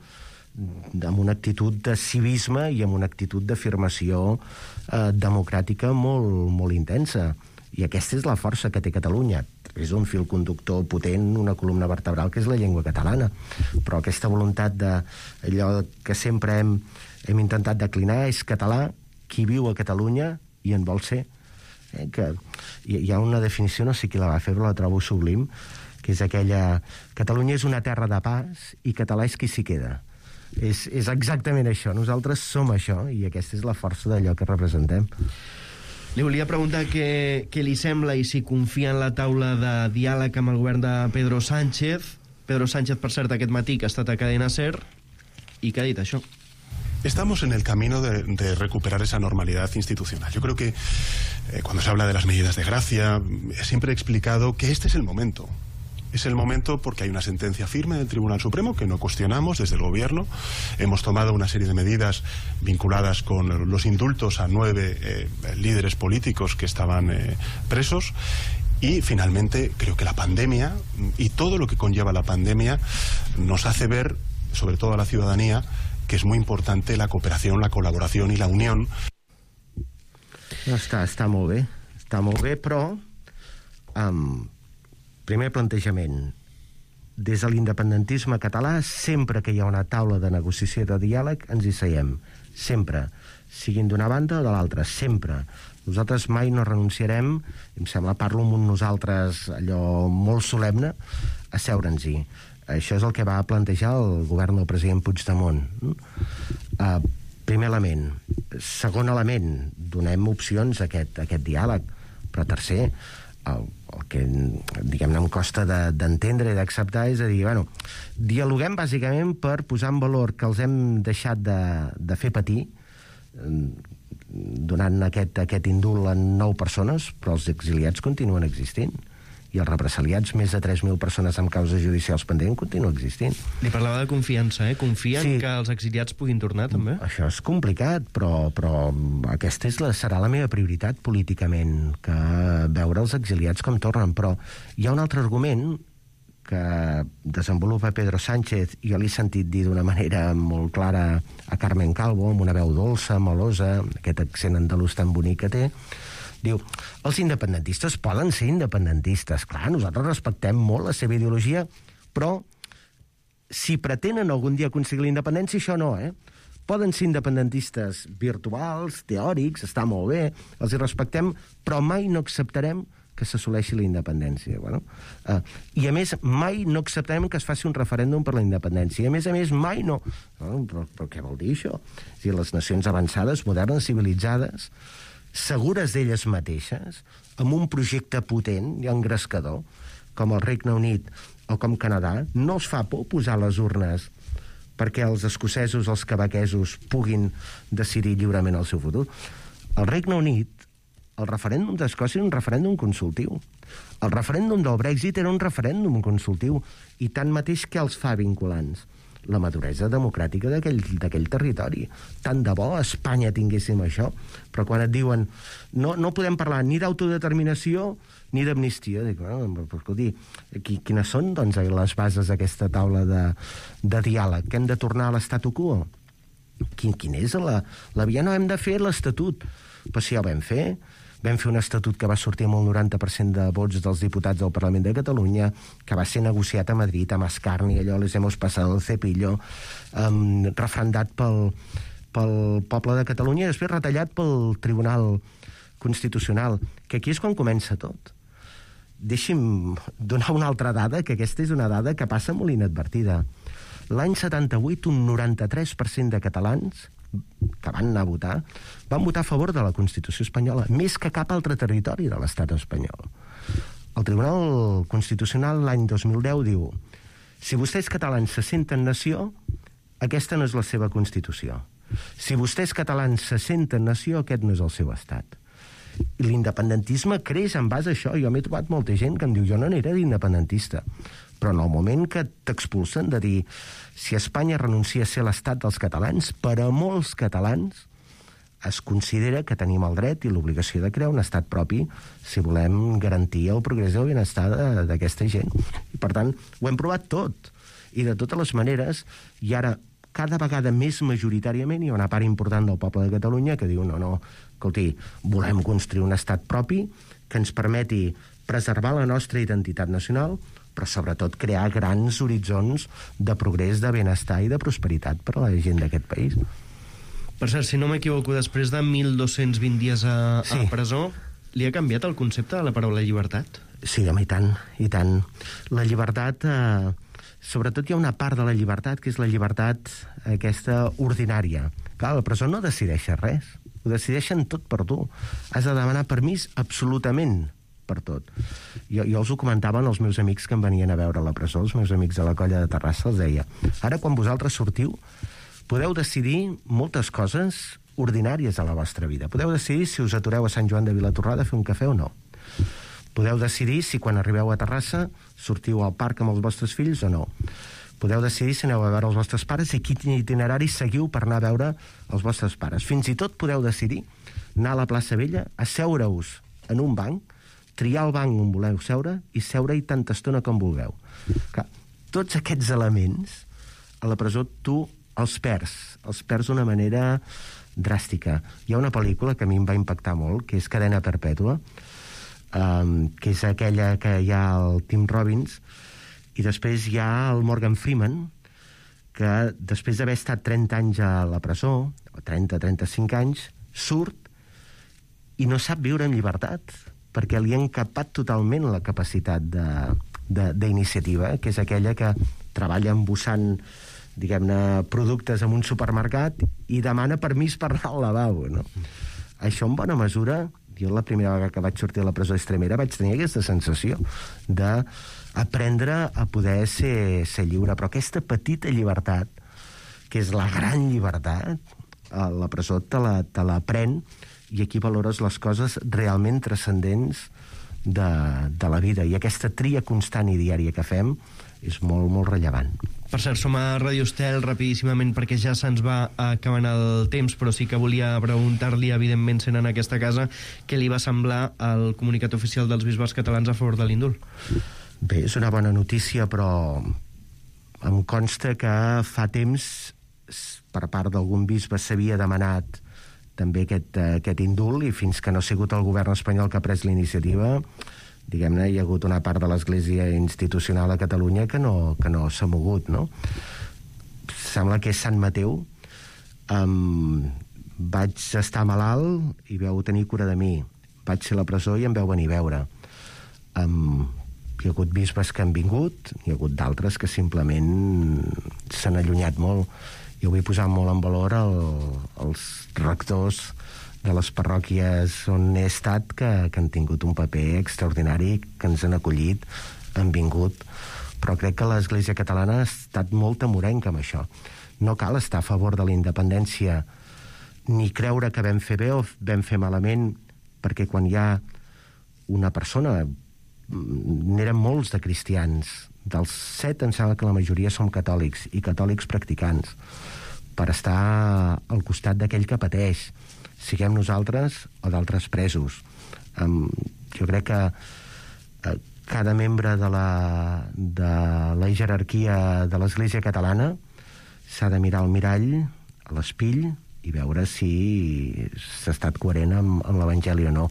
amb una actitud de civisme i amb una actitud d'afirmació democràtica molt, molt intensa. I aquesta és la força que té Catalunya. És un fil conductor potent, una columna vertebral, que és la llengua catalana. Però aquesta voluntat d'allò que sempre hem intentat declinar és català, qui viu a Catalunya i en vol ser. Que hi ha una definició, no sé qui la va fer, però la trobo sublim, que és aquella... Catalunya és una terra de pas i català és qui s'hi queda. És exactament això. Nosaltres som això i aquesta és la força d'allò que representem. Li volia preguntar què li sembla i si confia en la taula de diàleg amb el govern de Pedro Sánchez. Pedro Sánchez, per cert, aquest matí, que ha estat a Cadena SER, i que ha dit això. Estamos en el camino de recuperar esa normalidad institucional. Yo creo que cuando se habla de las medidas de gracia, siempre he explicado que este es el momento. Es el momento porque hay una sentencia firme del Tribunal Supremo que no cuestionamos desde el Gobierno. Hemos tomado una serie de medidas vinculadas con los indultos a 9 líderes políticos que estaban presos. Y finalmente creo que la pandemia y todo lo que conlleva la pandemia nos hace ver, sobre todo a la ciudadanía, que és molt important la cooperació, la col·laboració i la unió. No, està molt bé, però primer plantejament, des de l'independentisme català, sempre que hi ha una taula de negociació i de diàleg, ens hi seiem, sempre, siguin d'una banda o de l'altra, sempre. Nosaltres mai no renunciarem, em sembla, parlo amb un nosaltres allò molt solemne, a seure'ns-hi. Això és el que va plantejar el govern del president Puigdemont. Primer element. Segon element, donem opcions a aquest diàleg. Però tercer, el que, diguem-ne, em costa d'entendre i d'acceptar és a dir, bueno, dialoguem bàsicament per posar en valor que els hem deixat de fer patir donant aquest indult a 9 persones, però els exiliats continuen existint. I els represaliats, més de 3.000 persones amb causes judicials pendents, continua existint. Li parlava de confiança, eh? Confien que els exiliats puguin tornar, també? Això és complicat, però aquesta serà la meva prioritat políticament, que veure els exiliats com tornen. Però hi ha un altre argument que desenvolupa Pedro Sánchez, i jo l'he sentit dir d'una manera molt clara a Carmen Calvo, amb una veu dolça, melosa, aquest accent andalús tan bonic que té. Diu, els independentistes poden ser independentistes. Clar, nosaltres respectem molt la seva ideologia, però si pretenen algun dia aconseguir la independència, això no, Poden ser independentistes virtuals, teòrics, està molt bé, els hi respectem, però mai no acceptarem que s'assoleixi la independència. Bueno, i a més, mai no acceptarem que es faci un referèndum per la independència. I a més, mai no... Però què vol dir això? És a dir, les nacions avançades, modernes, civilitzades, segures d'elles mateixes, amb un projecte potent i engrescador, com el Regne Unit o com Canadà, no els fa por posar les urnes perquè els escocesos, els quebequesos puguin decidir lliurement el seu futur. Al Regne Unit, el referèndum d'Escòcia era un referèndum consultiu. El referèndum del Brexit era un referèndum consultiu. I tanmateix, què els fa vinculants? La maduresa democràtica d'aquell territori. Tant de bo a Espanya tinguéssim això, però quan et diuen no podem parlar ni d'autodeterminació ni d'amnistia, dic, escolti, quines són doncs, les bases d'aquesta taula de diàleg? Que hem de tornar a l'estatu quo? Quin és la via? No, hem de fer l'Estatut. Però si ja ho vam fer un estatut que va sortir amb el 90% de vots dels diputats del Parlament de Catalunya, que va ser negociat a Madrid, amb escarni, allò les hemos pasado el cepillo, refrendat pel poble de Catalunya i després retallat pel Tribunal Constitucional, que aquí és quan comença tot. Deixi'm donar una altra dada, que aquesta és una dada que passa molt inadvertida. L'any 78, un 93% de catalans que van anar a votar, van votar a favor de la Constitució espanyola, més que cap altre territori de l'estat espanyol. El Tribunal Constitucional l'any 2010 diu: si vostès catalans se senten nació, aquesta no és la seva Constitució. Si vostès catalans se senten nació, aquest no és el seu estat. I l'independentisme creix en base a això. Jo m'he trobat molta gent que em diu: jo no n'era d'independentista. Però en el moment que t'expulsen de dir si Espanya renuncia a ser l'estat dels catalans, per a molts catalans es considera que tenim el dret i l'obligació de crear un estat propi si volem garantir el progrés i el benestar d'aquesta gent. I per tant, ho hem provat tot. I de totes les maneres, i ara cada vegada més majoritàriament hi ha una part important del poble de Catalunya que diu no, escolti, volem construir un estat propi que ens permeti preservar la nostra identitat nacional, però sobretot crear grans horitzons de progrés, de benestar i de prosperitat per a la gent d'aquest país. Per cert, si no m'equivoco, després de 1.220 dies a presó, li ha canviat el concepte de la paraula llibertat? Sí, home, i tant. La llibertat, sobretot hi ha una part de la llibertat que és la llibertat aquesta ordinària. Clar, la presó no decideixes res, ho decideixen tot per tu. Has de demanar permís absolutament per tot. Jo els ho comentaven als meus amics que em venien a veure a la presó, els meus amics de la colla de Terrassa, els deia: ara quan vosaltres sortiu podeu decidir moltes coses ordinàries a la vostra vida. Podeu decidir si us atureu a Sant Joan de Vilatorrada a fer un cafè o no. Podeu decidir si quan arribeu a Terrassa sortiu al parc amb els vostres fills o no. Podeu decidir si aneu a veure els vostres pares i quin itinerari seguiu per anar a veure els vostres pares. Fins i tot podeu decidir anar a la plaça Vella, asseure-us en un banc, triar el banc on voleu seure i seure-hi tanta estona com vulgueu. Clar, tots aquests elements a la presó tu els perds d'una manera dràstica. Hi ha una pel·lícula que a mi em va impactar molt, que és Cadena Perpètua, que és aquella que hi ha el Tim Robbins, i després hi ha el Morgan Freeman, que després d'haver estat 30 anys a la presó, 30-35 anys, surt i no sap viure en llibertat, perquè li han capat totalment la capacitat d'iniciativa, que és aquella que treballa embossant, diguem-ne, productes en un supermercat i demana permís per anar al lavabo, no? Això, en bona mesura, jo la primera vegada que vaig sortir de la presó extremera vaig tenir aquesta sensació d'aprendre a poder ser lliure, però aquesta petita llibertat, que és la gran llibertat, a la presó te l'aprèn, i aquí valores les coses realment transcendents de la vida. I aquesta tria constant i diària que fem és molt, molt rellevant. Per cert, som a Ràdio Estel rapidíssimament perquè ja se'ns va acabant el temps, però sí que volia preguntar-li, evidentment, sent en aquesta casa, què li va semblar el comunicat oficial dels bisbes catalans a favor de l'indult? Bé, és una bona notícia, però em consta que fa temps per part d'algun bisbe s'havia demanat també aquest indult, i fins que no ha sigut el govern espanyol que ha pres la iniciativa, diguem-ne, hi ha hagut una part de l'Església institucional a Catalunya que no s'ha mogut, no? Sembla que és Sant Mateu. Vaig estar malalt i vau tenir cura de mi. Vaig ser a la presó i em vau venir a veure. Hi ha hagut bisbes que han vingut, hi ha hagut d'altres que simplement s'han allunyat molt. Jo vull posar molt en valor els rectors les parròquies on he estat que han tingut un paper extraordinari, que ens han acollit, han vingut, però crec que l'Església catalana ha estat molt amorenca amb això. No cal estar a favor de la independència ni creure que vam fer bé o vam fer malament, perquè quan hi ha una persona, n'eren molts de cristians, dels 7 em sembla que la majoria som catòlics, i catòlics practicants, per estar al costat d'aquell que pateix, siguem nosaltres o d'altres presos. Jo crec que cada membre de la jerarquia de l'Església catalana s'ha de mirar al mirall, a l'espill, i veure si s'ha estat coherent amb l'Evangeli o no.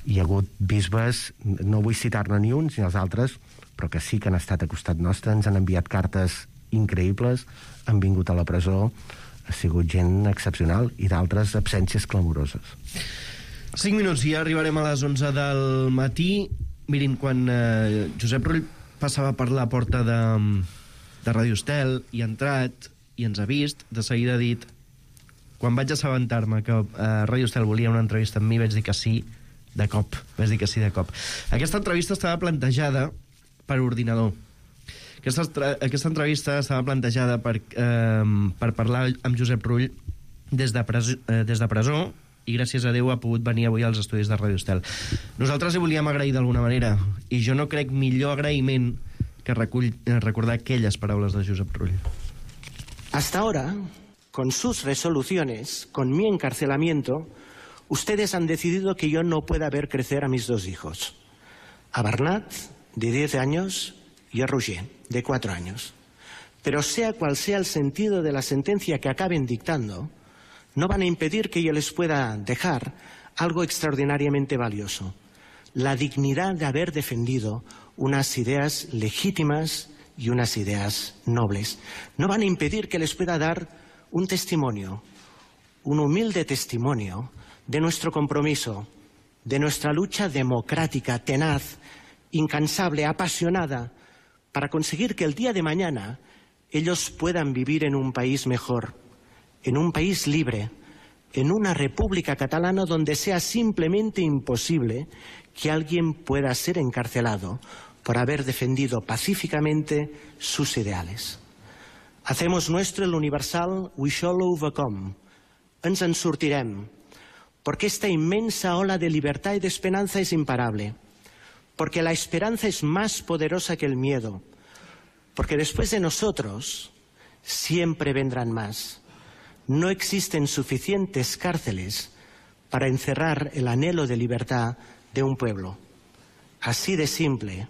Hi ha hagut bisbes, no vull citar-ne ni uns ni els altres, però que sí que han estat a costat nostre, ens han enviat cartes increïbles, han vingut a la presó, ha sigut gent excepcional, i d'altres absències clamoroses. 5 minuts i ja arribarem a les 11 del matí. Mirin, quan Josep Rull passava per la porta de Ràdio Estel i ha entrat i ens ha vist, de seguida ha dit: quan vaig assabentar-me que Ràdio Estel volia una entrevista amb mi, vaig dir que sí de cop. Aquesta entrevista estava plantejada per ordinador. Aquesta entrevista estava plantejada per parlar amb Josep Rull des de presó, i gràcies a Déu ha pogut venir avui als estudis de Ràdio Estel. Nosaltres li volíem agrair d'alguna manera, i jo no crec millor agraïment que recordar aquelles paraules de Josep Rull. Hasta ahora, con sus resoluciones, con mi encarcelamiento, ustedes han decidido que yo no pueda ver crecer a mis 2 hijos. A Bernat, de 10 años, y a Roger, de 4 años. Pero sea cual sea el sentido de la sentencia que acaben dictando, no van a impedir que yo les pueda dejar algo extraordinariamente valioso: la dignidad de haber defendido unas ideas legítimas y unas ideas nobles. No van a impedir que les pueda dar un testimonio, un humilde testimonio de nuestro compromiso, de nuestra lucha democrática, tenaz, incansable, apasionada, para conseguir que el día de mañana ellos puedan vivir en un país mejor, en un país libre, en una república catalana donde sea simplemente imposible que alguien pueda ser encarcelado por haber defendido pacíficamente sus ideales. Hacemos nuestro el universal "We shall overcome". Ens en sortirem, porque esta inmensa ola de libertad y de esperanza es imparable, porque la esperanza es más poderosa que el miedo, porque después de nosotros siempre vendrán más. No existen suficientes cárceles para encerrar el anhelo de libertad de un pueblo. Así de simple,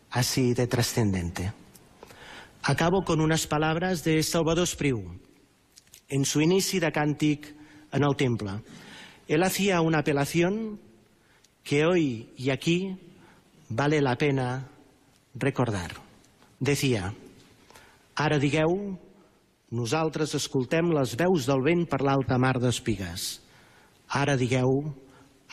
así de trascendente. Acabo con unas palabras de Salvador Espriu, en su inici de càntic en el temple. Él hacía una apelación que hoy y aquí vale la pena recordar. Decía: ara digueu, nosaltres escoltem les veus del vent per l'alta mar d'espigues. Ara digueu,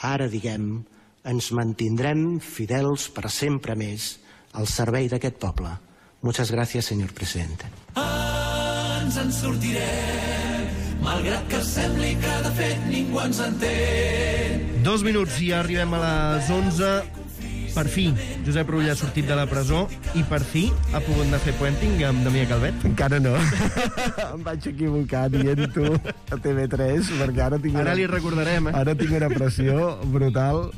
ara diguem, ens mantindrem fidels per sempre més al servei d'aquest poble. Muchas gracias, señor presidente. Ens en sortirem, malgrat que sembli que de fet ningú ens entén. 2 minuts i ja arribem a les 11. Per fi, Josep Rull ha sortit de la presó i per fi ha pogut anar a fer puenting amb Damià Calvet. Encara no. Em vaig equivocar dient-ho a TV3, perquè ara tinc... Ara li recordarem, Ara tinc una pressió brutal,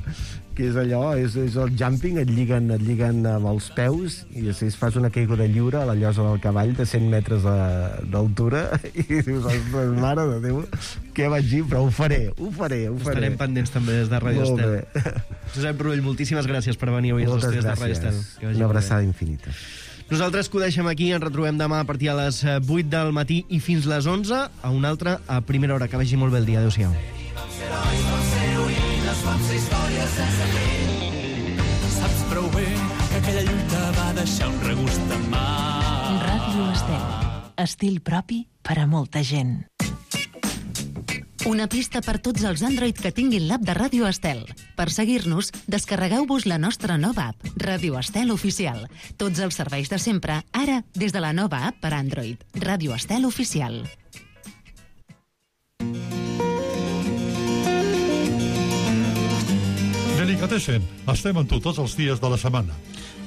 que és allò, és el jumping, et lliguen amb els peus i si fas una caiguda lliure a la llosa del cavall de 100 metres d'altura i dius, mare de Déu, què vaig dir? Però ho faré. Estarem pendents també des de Ràdio Estel. Josep Rull, moltíssimes gràcies per venir avui als estudis de Ràdio Estel. Una abraçada infinita. Nosaltres que ho deixem aquí, ens retrobem demà a partir de les 8 del matí i fins les 11, a una altra a primera hora. Que vagi molt bé el dia. Adéu-siau. Vam ser històries sense fi. Saps prou bé que aquella lluita va deixar un regust en mà. Ràdio Estel. Estil propi per a molta gent. Una pista per tots els Android que tinguin l'app de Ràdio Estel. Per seguir-nos, descarregueu-vos la nostra nova app, Ràdio Estel Oficial. Tots els serveis de sempre, ara, des de la nova app per Android. Ràdio Estel Oficial. Delicatessen. Estem amb tu tots els dies de la setmana.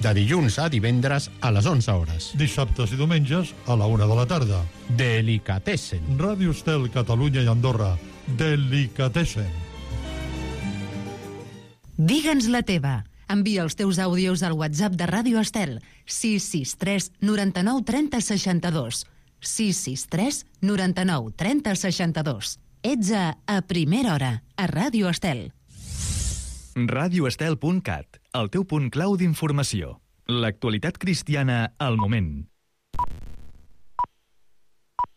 De dilluns a divendres a les 11 hores. Dissabtes i diumenges a la 1 de la tarda. Delicatessen. Ràdio Estel, Catalunya i Andorra. Delicatessen. Digue'ns la teva. Envia els teus àudios al WhatsApp de Ràdio Estel 663 99 30 62. 663 99 30 62. Ets a Primera Hora, a Ràdio Estel. radioestel.cat, el teu punt clau d'informació. L'actualitat cristiana al moment.